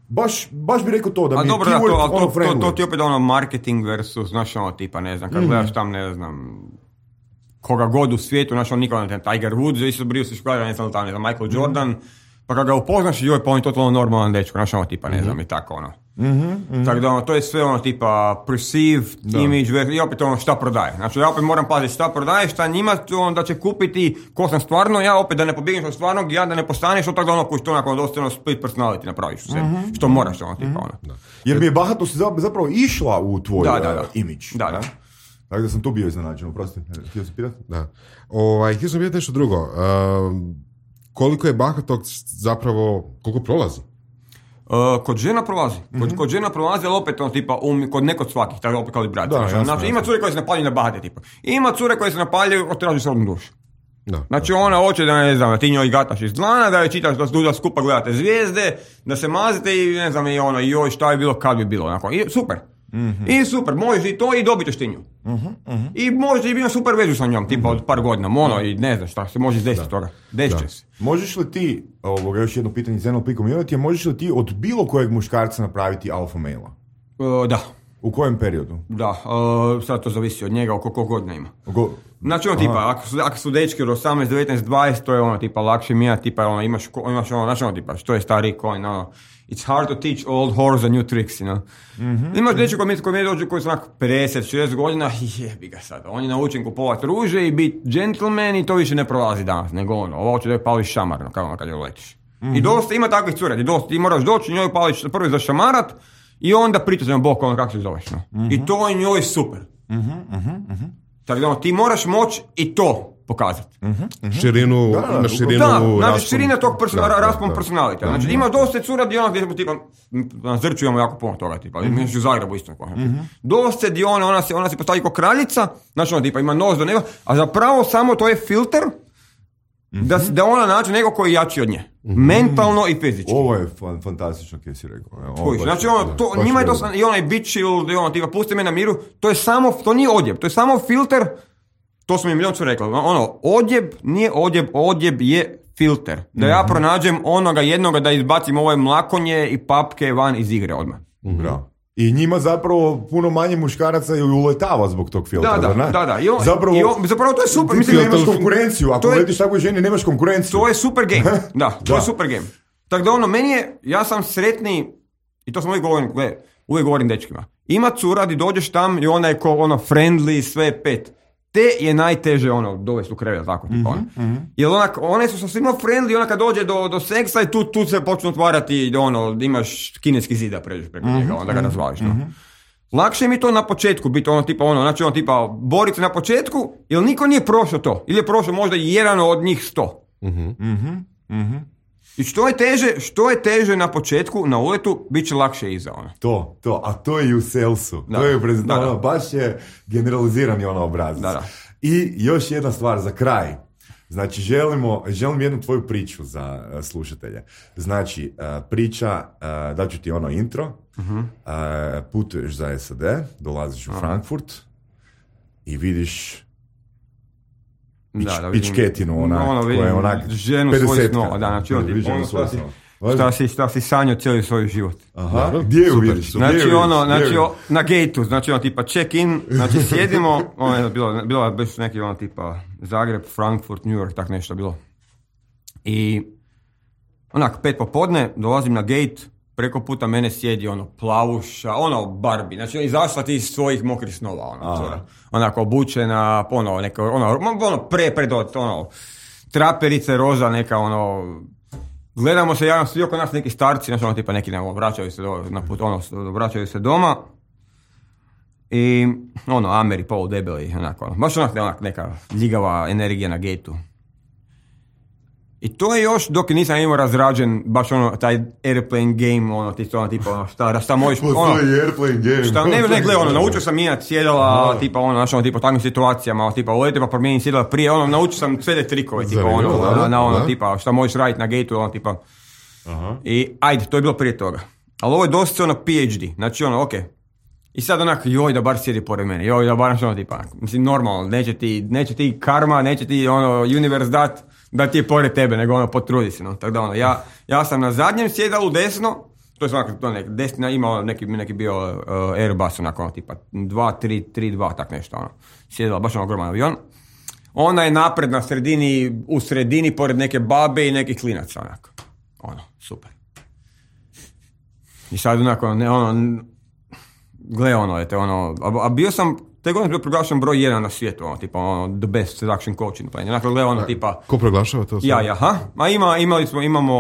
Baš, baš bi rekao to, da mi dobro, keyword, da, to, ono, to, to, to ti opet ono marketing versus, znaš, ono tipa, ne znam, kad mm. gledaš tam, ne znam, koga god u svijetu, znaš, on nikada, ne znam, Tiger Woods, isto brio se škoda, ne znam, tam, ne znam, Michael mm. Jordan, pa kad ga upoznaš, joj, pa on je totalno normalan dečko, znaš, ono tipa, ne znam, mm. i tako, ono. Mm-hmm, mm-hmm. Tako da, ono, to je sve, ono, tipa, perceived da. Image, i opet, ono, šta prodaje. Znači, ja opet moram paziti šta prodaje, šta njima, on, da će kupiti ko sam stvarno, ja opet da ne pobjegneš od stvarnog, ja da ne postaneš od toga, ono, koji što onako, dosta, ono, split personality napraviš u sebi, mm-hmm. što moraš, ono, tipa, ono. Da. Jer mi je bahatost zapravo išla u tvoj da, da, da. Uh, image. Da, da. Tako da sam tu bio iznenađen, oprosti. Htio sam pitati? Da. Ovaj, htio sam pitati nešto drugo. Uh, koliko je bahatog zapravo, koliko prolazi? Uh, kod žena prolazi. Kod, mm-hmm. kod žena prolazi, ali opet on tipa, um, kod nekod svakih, tako opet kao i brat. Znači, jasno, ima cure koje se napaljuju na bahate tipa. Ima cure koje se napaljuju, otraži srodnu dušu. Da, znači da. Ona hoće da, ne znam, da ti njoj gataš iz dlana, da je čitaš, da, da skupa gledate zvijezde, da se mazite i ne znam, i ono, joj, šta je bilo, kad bi bilo. Onako. I super. Mm-hmm. I super, možeš i to i dobit ćeš ti nju. Mm-hmm, mm-hmm. I možeš i biti super vezu sa njom, tipa mm-hmm. od par godina, ono, i ne znam šta se može desiti toga. Desit će se. Možeš li ti, ovoga, još jedno pitanje iz N L P community, možeš li ti od bilo kojeg muškarca napraviti alfa maila? Uh, da. U kojem periodu? Da, uh, sad to zavisi od njega, oko koliko godina ima. Go... Znači ono tipa, ako su, ako su dečki od osamnaest, devetnaest, dvadeset, to je ono tipa lakše mija, tipa ono, imaš, imaš ono, znači ono tipa, što je stari coin, ono, it's hard to teach old horse a new tricks, you know. Mm-hmm. Imaš dečki koji mi, koji mi dođu koji su onako pedeset, šezdeset godina, jebi ga sad, on je naučen kupovati ruže i biti gentleman i to više ne prolazi danas, nego ono, ovo će da je pališ šamar, no, kao ono kad je letiš. Mm-hmm. I dosta ima takvih cura, dosta, ti moraš doći njoj pališ prvi zašamarat i onda pričati na bok, ono kako se zoveš, no. Mm-hmm. I to je njoj super. Mm-hmm, mm-hmm. Tako da ti moraš moći i to pokazati. Mm-hmm. Širinu, da, da, na širinu da, znači širina tog person, raspon personality. Znači ima dosta cura gdje ono gdje smo tipa, na Zrću imamo jako puno toga, tipa, mm-hmm. mi u Zagrebu isto. Mm-hmm. Dosta gdje ona, ona se, ona se postavi kao kraljica, znači ona tipa ima nos do neba, a zapravo samo to je filter mm-hmm. da, da ona nađe neko koji je jači od nje. Mm-hmm. Mentalno i fizički. Ovo je fan, fantastično kaj si rekao. Ovo znači ono, to, njima je to sam, i onaj bitch ili ono, tipa, pusti me na miru, to je samo, to nije odjeb, to je samo filter. To sam im milijon ču rekao, ono, odjeb nije odjeb, odjeb je filter. Da ja pronađem onoga jednoga da izbacim ove mlakonje i papke van iz igre odmah. Bravo. I njima zapravo puno manje muškaraca ju uletava zbog tog filtra. Da, da, da. da, da. I on, zapravo, i on, zapravo to je super. Mislim, nemaš konkurenciju. Ako je, letiš takvoj ženi, nemaš konkurenciju. To je super game. Da, to da. je super game. Tako da ono, meni je, ja sam sretniji, i to sam uvijek govorim, gledaj, uvijek govorim dečkima. Ima cura, di dođeš tam i ona je ko ono friendly, sve pet. Te je najteže ono dovesti u krevet, tako tipa ono. Mm-hmm. Jer onak, one su sasvim friendly, ona kad dođe do, do seksa i tu, tu se počnu otvarati, ono, imaš kineski zid da pređeš preko mm-hmm. njega, onda ga razvališ. No. Mm-hmm. Lakše mi to na početku biti ono tipa ono, znači ono tipa boriti na početku, jer niko nije prošao to. Ili je prošao možda jedan od njih sto. Mm-hmm. Mm-hmm. I što je teže, što je teže na početku, na uletu, bit će lakše iza, ono. To, to, a to je i u salesu. Da. To je u prezentaciji, Da, da. ono, baš je generalizirani ono obrazac. Da, da. I još jedna stvar za kraj. Znači, želimo, želim jednu tvoju priču za uh, slušatelje. Znači, uh, priča, uh, daću ti ono intro, uh-huh. uh, putuješ za S A D, dolaziš u uh-huh. Frankfurt i vidiš pič, Da, da vidim. pičketinu, onak, ono, koja je onak ženu svojih snova, da, znači, ono, Vidim ono, svoju šta si- snova. Šta si, šta si sanjao cijeli svoj život. Aha, Dobro. gdje ju Super, vidiš? super. Gdje ju Znači vidiš? ono, Gdje ju znači vidiš? o, na gateu, znači ono tipa check in, znači sjedimo, ono je bilo, bilo je baš neki ono tipa Zagreb, Frankfurt, New York, tak nešto bilo. I onak, pet popodne, dolazim na gate, preko puta mene sjedi ono plavuša, ono Barbie, znači izašla ti iz svojih mokrih snova, ono, cura. Onako obučena, ono, neka, ono, ono, pre, pred, ono, traperice, roza, neka, ono, gledamo se, javno, svi oko nas neki starci, znači ono, tipa neki, ne, vraćaju se, do, na put, ono, vraćaju se doma, i, ono, Ameri, polu debeli, onako, ono, baš onak, onak, neka ljigava energija na gateu. I to je još dok nisam imao razrađen baš ono, taj airplane game, ono, ti ono, tipa, ono, šta, šta možeš, ono, Postoji airplane game. šta, ne, ne, gle, ono, naučio sam mijenjat sjedala, tipa, ono, znaš, ono, tipa, u takvim situacijama, tipa, uleti pa promijenim sjedala prije, ono, naučio sam sve te trikove, tipa, ono, Zanimljivo, na, da, na, ono, da. tipa, šta možeš raditi na gateu, ono, tipa, Aha. i, ajde, to je bilo prije toga. Ali ovo je dosta, ono, P H D, znači, ono, okej. I sad onak, joj da bar sjedi pored mene, joj da bar ono tipa, mislim normalno, neće ti, neće ti karma, neće ti ono universe dat da ti je pored tebe, nego ono potrudi se, no. Tako da ono, ja, ja sam na zadnjem sjedalu desno, to je svakako to nek, desna, imao neki, neki bio uh, Airbus onako ono tipa dva tri tri dva tak nešto ono, sjedala baš ono ogroman avion. Ona je napred na sredini, u sredini pored neke babe i nekih klinaca onako, ono, super. I sad onako, ne ono, gle ono, ete, ono, a, a bio sam, te godine bio proglašen broj jedan na svijetu, ono, tipa, ono, the best seduction coaching plan. Onako, gle ono, tipa, Ko proglašava to? ja, ja, ha? Ma ima, imali smo, imamo,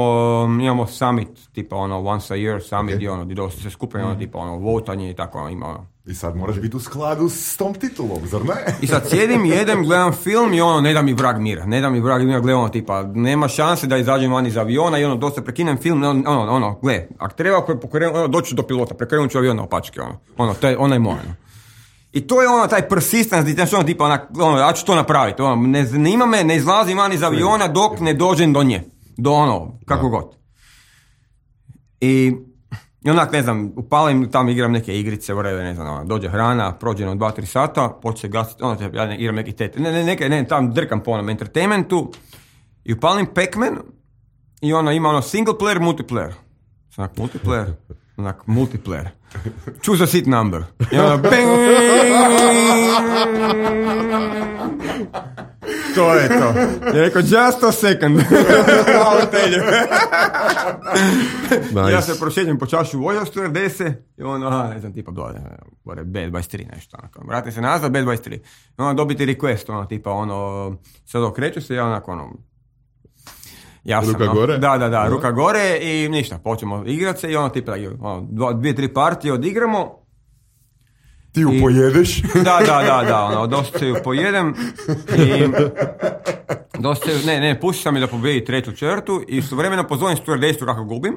imamo summit, tipa, ono, once a year summit, Ok. gdje, ono, gdje dosta se skupaju, ono, tipa, ono, votanje i tako, ono, ima, ono. I sad moraš biti u skladu s tom titulom, zar ne? I sad sjedim, jedem, gledam film i ono, ne da mi vrag mira, ne da mi vrag mira, gledam, ono, tipa, nema šanse da izađem van iz aviona i ono, dosta prekinem film, ono, ono, ono gle, ako treba, pokrenem, ono, doću do pilota, prekrenut ću avion na opačke, ono, ono, to je, ono je moje, ono. I to je ono, taj persistence, znači ono, tipa, onak, ono, ja ću to napraviti, ono, ne zanima me, ne izlazim van iz aviona dok ne dođem do nje, do ono, kako god. I, i onak, ne znam, upalim, tamo igram neke igrice, whatever, ne znam, ono, dođe hrana, prođe ono dva tri sata, počne gasiti, ono, ja ne, igram neki tete, ne, ne, neke, ne, tam drkam po onom entertainmentu i upalim Pac-Man i ono, ima ono single player, multiplayer. Onak, multiplayer, onak, multiplayer. Choose a seat number. I ono, bang! To je to. Ja rekao, just a second. I'll tell you. Nice. Ja se prošećem po čašu voja stewardese i ono, aha, ne znam, tipa, dole, B dvadeset tri nešto, onako. Vrati se nazad, B dvadeset tri. I ono, dobiti request, ono, tipa, ono, sad okreću se, ja onako, ono, ja sam, Ruka no, gore? Da, da, da, ruka gore i ništa, počnemo igrat se i ono, tipa, ono, dva, dvije, tri partije odigramo. Ti ju I- pojedeš. Da, da, da, da, ono, dosta se ju pojedem i dosta se, ne, ne, pusti sam mi da pobedi treću čertu i istovremeno pozovem stewardesu kako gubim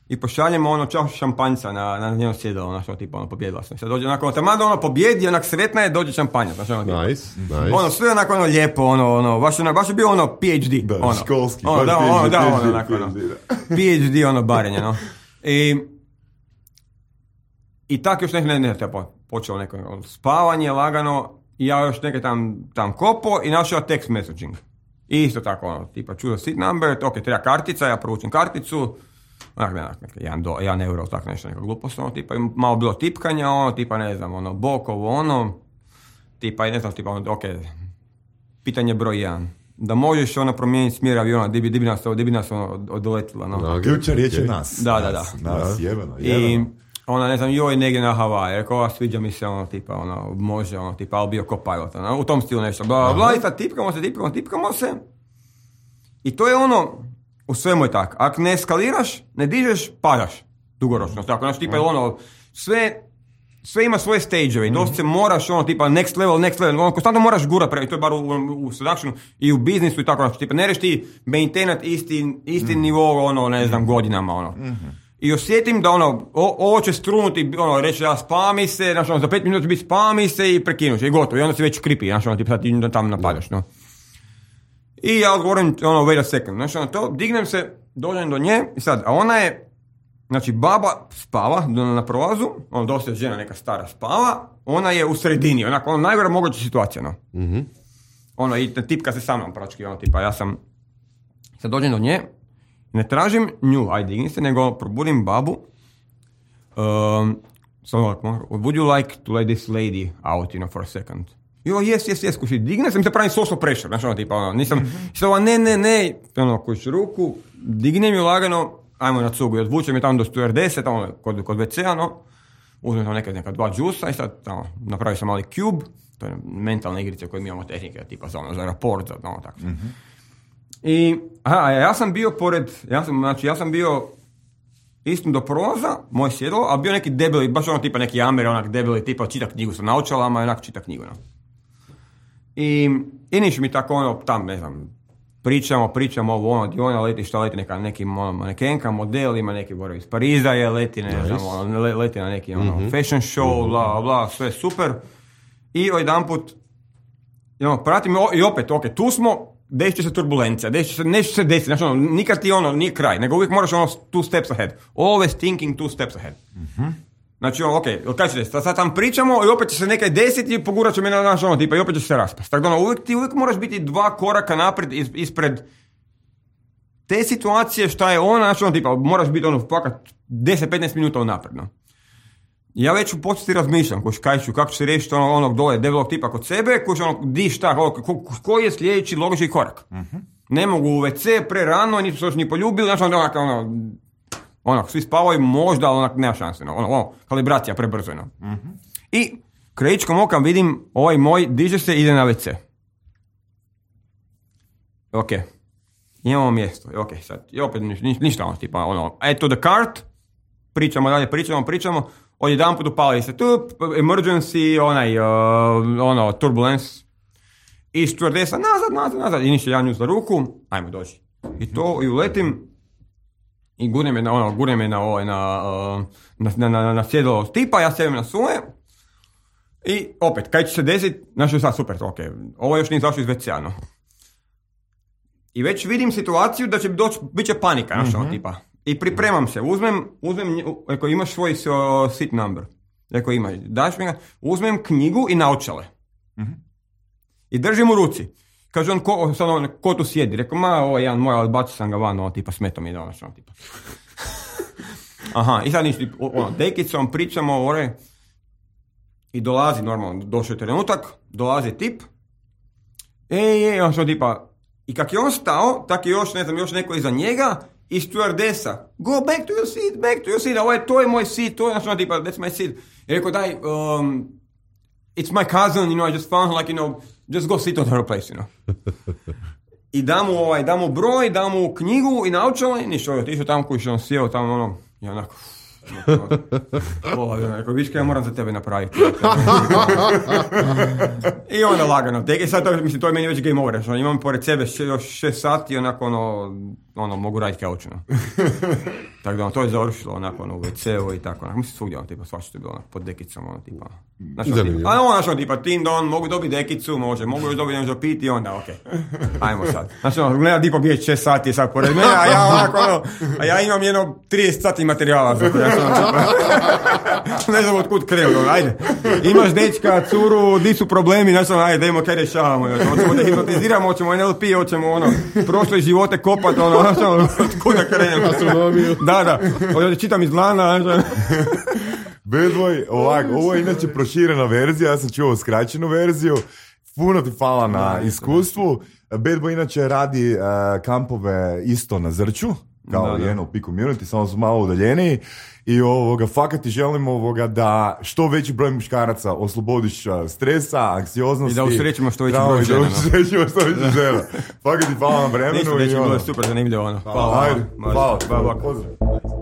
i pošaljemo ono čašu šampanjca na, na njeno sjedalo, ono što tipa ono pobjedila sam. Sad dođe onako, tamo da ono pobjedi, onak sretna je, dođe šampanjac, znači ono tipa. Nice, nice. Ono, sve onako ono lijepo, ono, ono, baš, ono, baš je bio ono P H D. Da, ono, školski, Ono, baš da, P H D, ono, da, P H D, ono, onako, ono, P H D, da. P H D, ono, barenje, no. I, i tako još ne, ne, ne, te po- počelo neko ono, spavanje lagano i ja još neke tam, tam kopo i našao text messaging. I isto tako, ono, tipa choose seat number, ok, treba kartica, ja provučem karticu, onak, ne, onak, neka, jedan, do, jedan euro, tako nešto, neka glupost, ono, tipa, i malo bilo tipkanja, ono, tipa, ne znam, ono, bokovo, ono, tipa, i ne znam, tipa, ono, ok, pitanje broj jedan. Da možeš ono promijeniti smjer aviona, di bi, di bi nas, di bi nas ono, odoletila, no. Da, Ključna riječ je ok. nas. Da, da, Nas, da. Nas, Da. jebeno, I jebeno. ona, ne znam, joj negdje na Havaji, rekao, a sviđa mi se, ono, tipa, ono, može, ono, tipa, ali bio ko pilot, ono, u tom stilu nešto, bla, bla, bla, i sad tipkamo se, tipkamo, tipkamo se. I to je ono, u svemu je tako, ako ne eskaliraš, ne dižeš, padaš, dugoročno, tako, znači, tipa, ono, sve, sve ima svoje stage-eve i dosta se moraš, ono, tipa, next level, next level, ono, konstantno moraš gurat, pre, to je bar u, u, u seductionu i u biznisu i tako, znači, tipa, ne reš ti maintainat isti, isti mm. nivo, ono, ne znam, godinama, ono. Mm-hmm. I osjetim da, ono, o, ovo će strunuti, ono, reći, ja spami se, znači, ono, za pet minuta će biti spami se i prekinuš, i gotovo, i onda si već kripi, znači, ono, tipa, sad ti tamo napadaš, no. I ja odgovorim, ono, wait a second, znači, ono, to, dignem se, dođem do nje, i sad, a ona je, znači, baba spava na prolazu, ono, dosta žena neka stara spava, ona je u sredini, onako, ono, najgora moguća situacija, no. Mm-hmm. Ono, i tipka se sa mnom, prački, ono, tipa, ja sam, sad dođem do nje, ne tražim nju, aj digni se, nego probudim babu, um, so, would you like to let this lady out, you know, for a second? Jo, yes, yes, yes, kući, digne se, mi se pravi social pressure, znači, ono, tipa, ono, nisam, mm-hmm. što, ne, ne, ne, ono, kući ruku, dignem ju lagano, ajmo na cugu i odvučem je tamo do stewardese, tamo kod, kod ve cea, no, uzmem tamo neka, neka dva džusa i sad tamo napravio sam mali cube, to je mentalna igrica koju mi imamo tehnike, tipa za ono, za raport, za ono, tako. Mm-hmm. I, aha, ja sam bio pored, ja sam, znači, ja sam bio istom do prolaza, moj sjedlo, a bio neki debeli, baš ono tipa neki Amer, onak debeli, tipa čita knjigu sa naočalama i onak čita knjigu, no. I, i niš mi tako ono, tam, ne znam, pričamo, pričamo ovo, ono, di ona leti, šta leti, neka, neki ono, manekenka, model, ima neki boro iz Pariza je, leti, ne znam, ono, leti na neki ono, mm-hmm. fashion show, mm-hmm. bla, bla, sve super. I jedanput, ono, pratim i opet, ok, tu smo, desit će se turbulencija, desit će se, nešto se desiti, znači ono, nikad ti ono, nije kraj, nego uvijek moraš ono two steps ahead. Always thinking two steps ahead. Mm-hmm. Znači, ono, ok, kaj će desiti, sad tam pričamo i opet će se nekaj desiti i pogurat će me na naš ono tipa i opet će se raspast. Tako da ono, uvijek ti uvijek moraš biti dva koraka naprijed is, ispred te situacije šta je ona, znači ono tipa, moraš biti ono, pakat deset do petnaest minuta unapredno. Ja već u početi razmišljam, koš, kaj ću, kako ću se riješiti ono, onog dole debelog tipa kod sebe, koš ono, di šta, ko, ko, koji je sljedeći logični korak. Mm-hmm. Ne mogu u ve ce pre rano, nisu se još ni poljubili, znači ono, ono, onak, svi spavaju možda, ali onak, nema šanse, no, ono, ono, kalibracija prebrzo, no. Mm-hmm. I krajičkom okam vidim, ovaj moj diže se, ide na ve ce. Ok, imamo mjesto, ok, sad, i opet niš, ništa, ono, tipa, ono, add to the cart, pričamo dalje, pričamo, pričamo, odjedan put upali se, tu, emergency, onaj, uh, ono, turbulence, i stewardesa, nazad, nazad, nazad, i ništa, ja nju za ruku, ajmo doći. I to, i uletim, i gurnem je na, ono, gurnem je na, ovaj, na, uh, na, na, na, na sjedalo tipa, ja sjedim na svoje, i opet, kaj će se desiti, znači sad super, ok, ovo još nije zašlo iz ve cea, no. I već vidim situaciju da će doći, bit će panika, znači, mm-hmm. tipa. I pripremam se, uzmem, uzmem, ako imaš svoj uh, seat number, ako imaš, daš mi ga, uzmem knjigu i naočale. Mm-hmm. I držim u ruci. Kaže on, ko, sad on, ko tu sjedi? Rekao, ma, ovo je jedan moj, ali bacio sam ga van, ono, tipa, smeto mi je danas, ono, tipa. Aha, i sad ništa, ono, dekicom pričamo, ore, i dolazi, normalno, došao je trenutak, dolazi tip, ej, ej, on što tipa, i kak je on stao, tak je još, ne znam, još neko iza njega, i stewardesa, go back to your seat, back to your seat, ovo je, to je moj seat, to je, ono, tipa, that's my seat. I rekao, daj, um, it's my cousin, you know, I just found, like, you know, just go sit on her place, you know. I da mu, ovaj, da mu broj, da mu knjigu i naočale, ništa, ovaj, tišao tamo koji što on sjeo tamo, ono, i onako, Rekao, viš kaj ja moram za tebe napraviti. I onda lagano. Tek je sad, to, mislim, to je meni već game over. Što imam pored sebe še, još šest sati i onako ono, ono mogu raditi kaučeno. Tako da ono, to je završilo onako ono, u ve ceu i tako. Onako, mislim, svugdje ono, tipa, svašta je bilo ono, pod dekicom, ono, tipa. Znači, ono, tipa, a ono, znači, ono, tipa, tindon, mogu dobiti dekicu, može, mogu još dobiti nešto piti i onda, okej. Okay. Ajmo sad. Znači, ono, gleda, tipa, bijeć šest sati sad pored mene, a ja onako, ono, a ja imam jedno trideset sati materijala za to, ja sam, ono, ne znam otkud krenuo, ajde. Imaš dečka, curu, di su problemi, znači, ono, ajde, dajmo kaj rješavamo, znači, hoćemo da hipnotiziramo, hoćemo en el pe, hoćemo, ono, prošle živote kopat, ono, znači, ono, otkud da krenemo. Astronomiju. Da, da, ovdje čitam iz lana, znači. Bad Boy, ovak, ovo je inače proširena verzija, ja sam čuo skraćenu verziju, puno ti hvala na iskustvu. Bad Boy inače radi uh, kampove isto na Zrću, kao da, da. N L P community, samo su malo udaljeniji i ovoga, fakat ti želim ovoga da što veći broj muškaraca oslobodiš stresa, anksioznosti. I da usrećimo što veći broj žena. Da usrećimo što veći žena. Fakat ti hvala na vremenu. Ništa, već je bilo super zanimljivo. Hvala. Hvala. Hvala. Hvala. Hvala. Hvala. Hvala.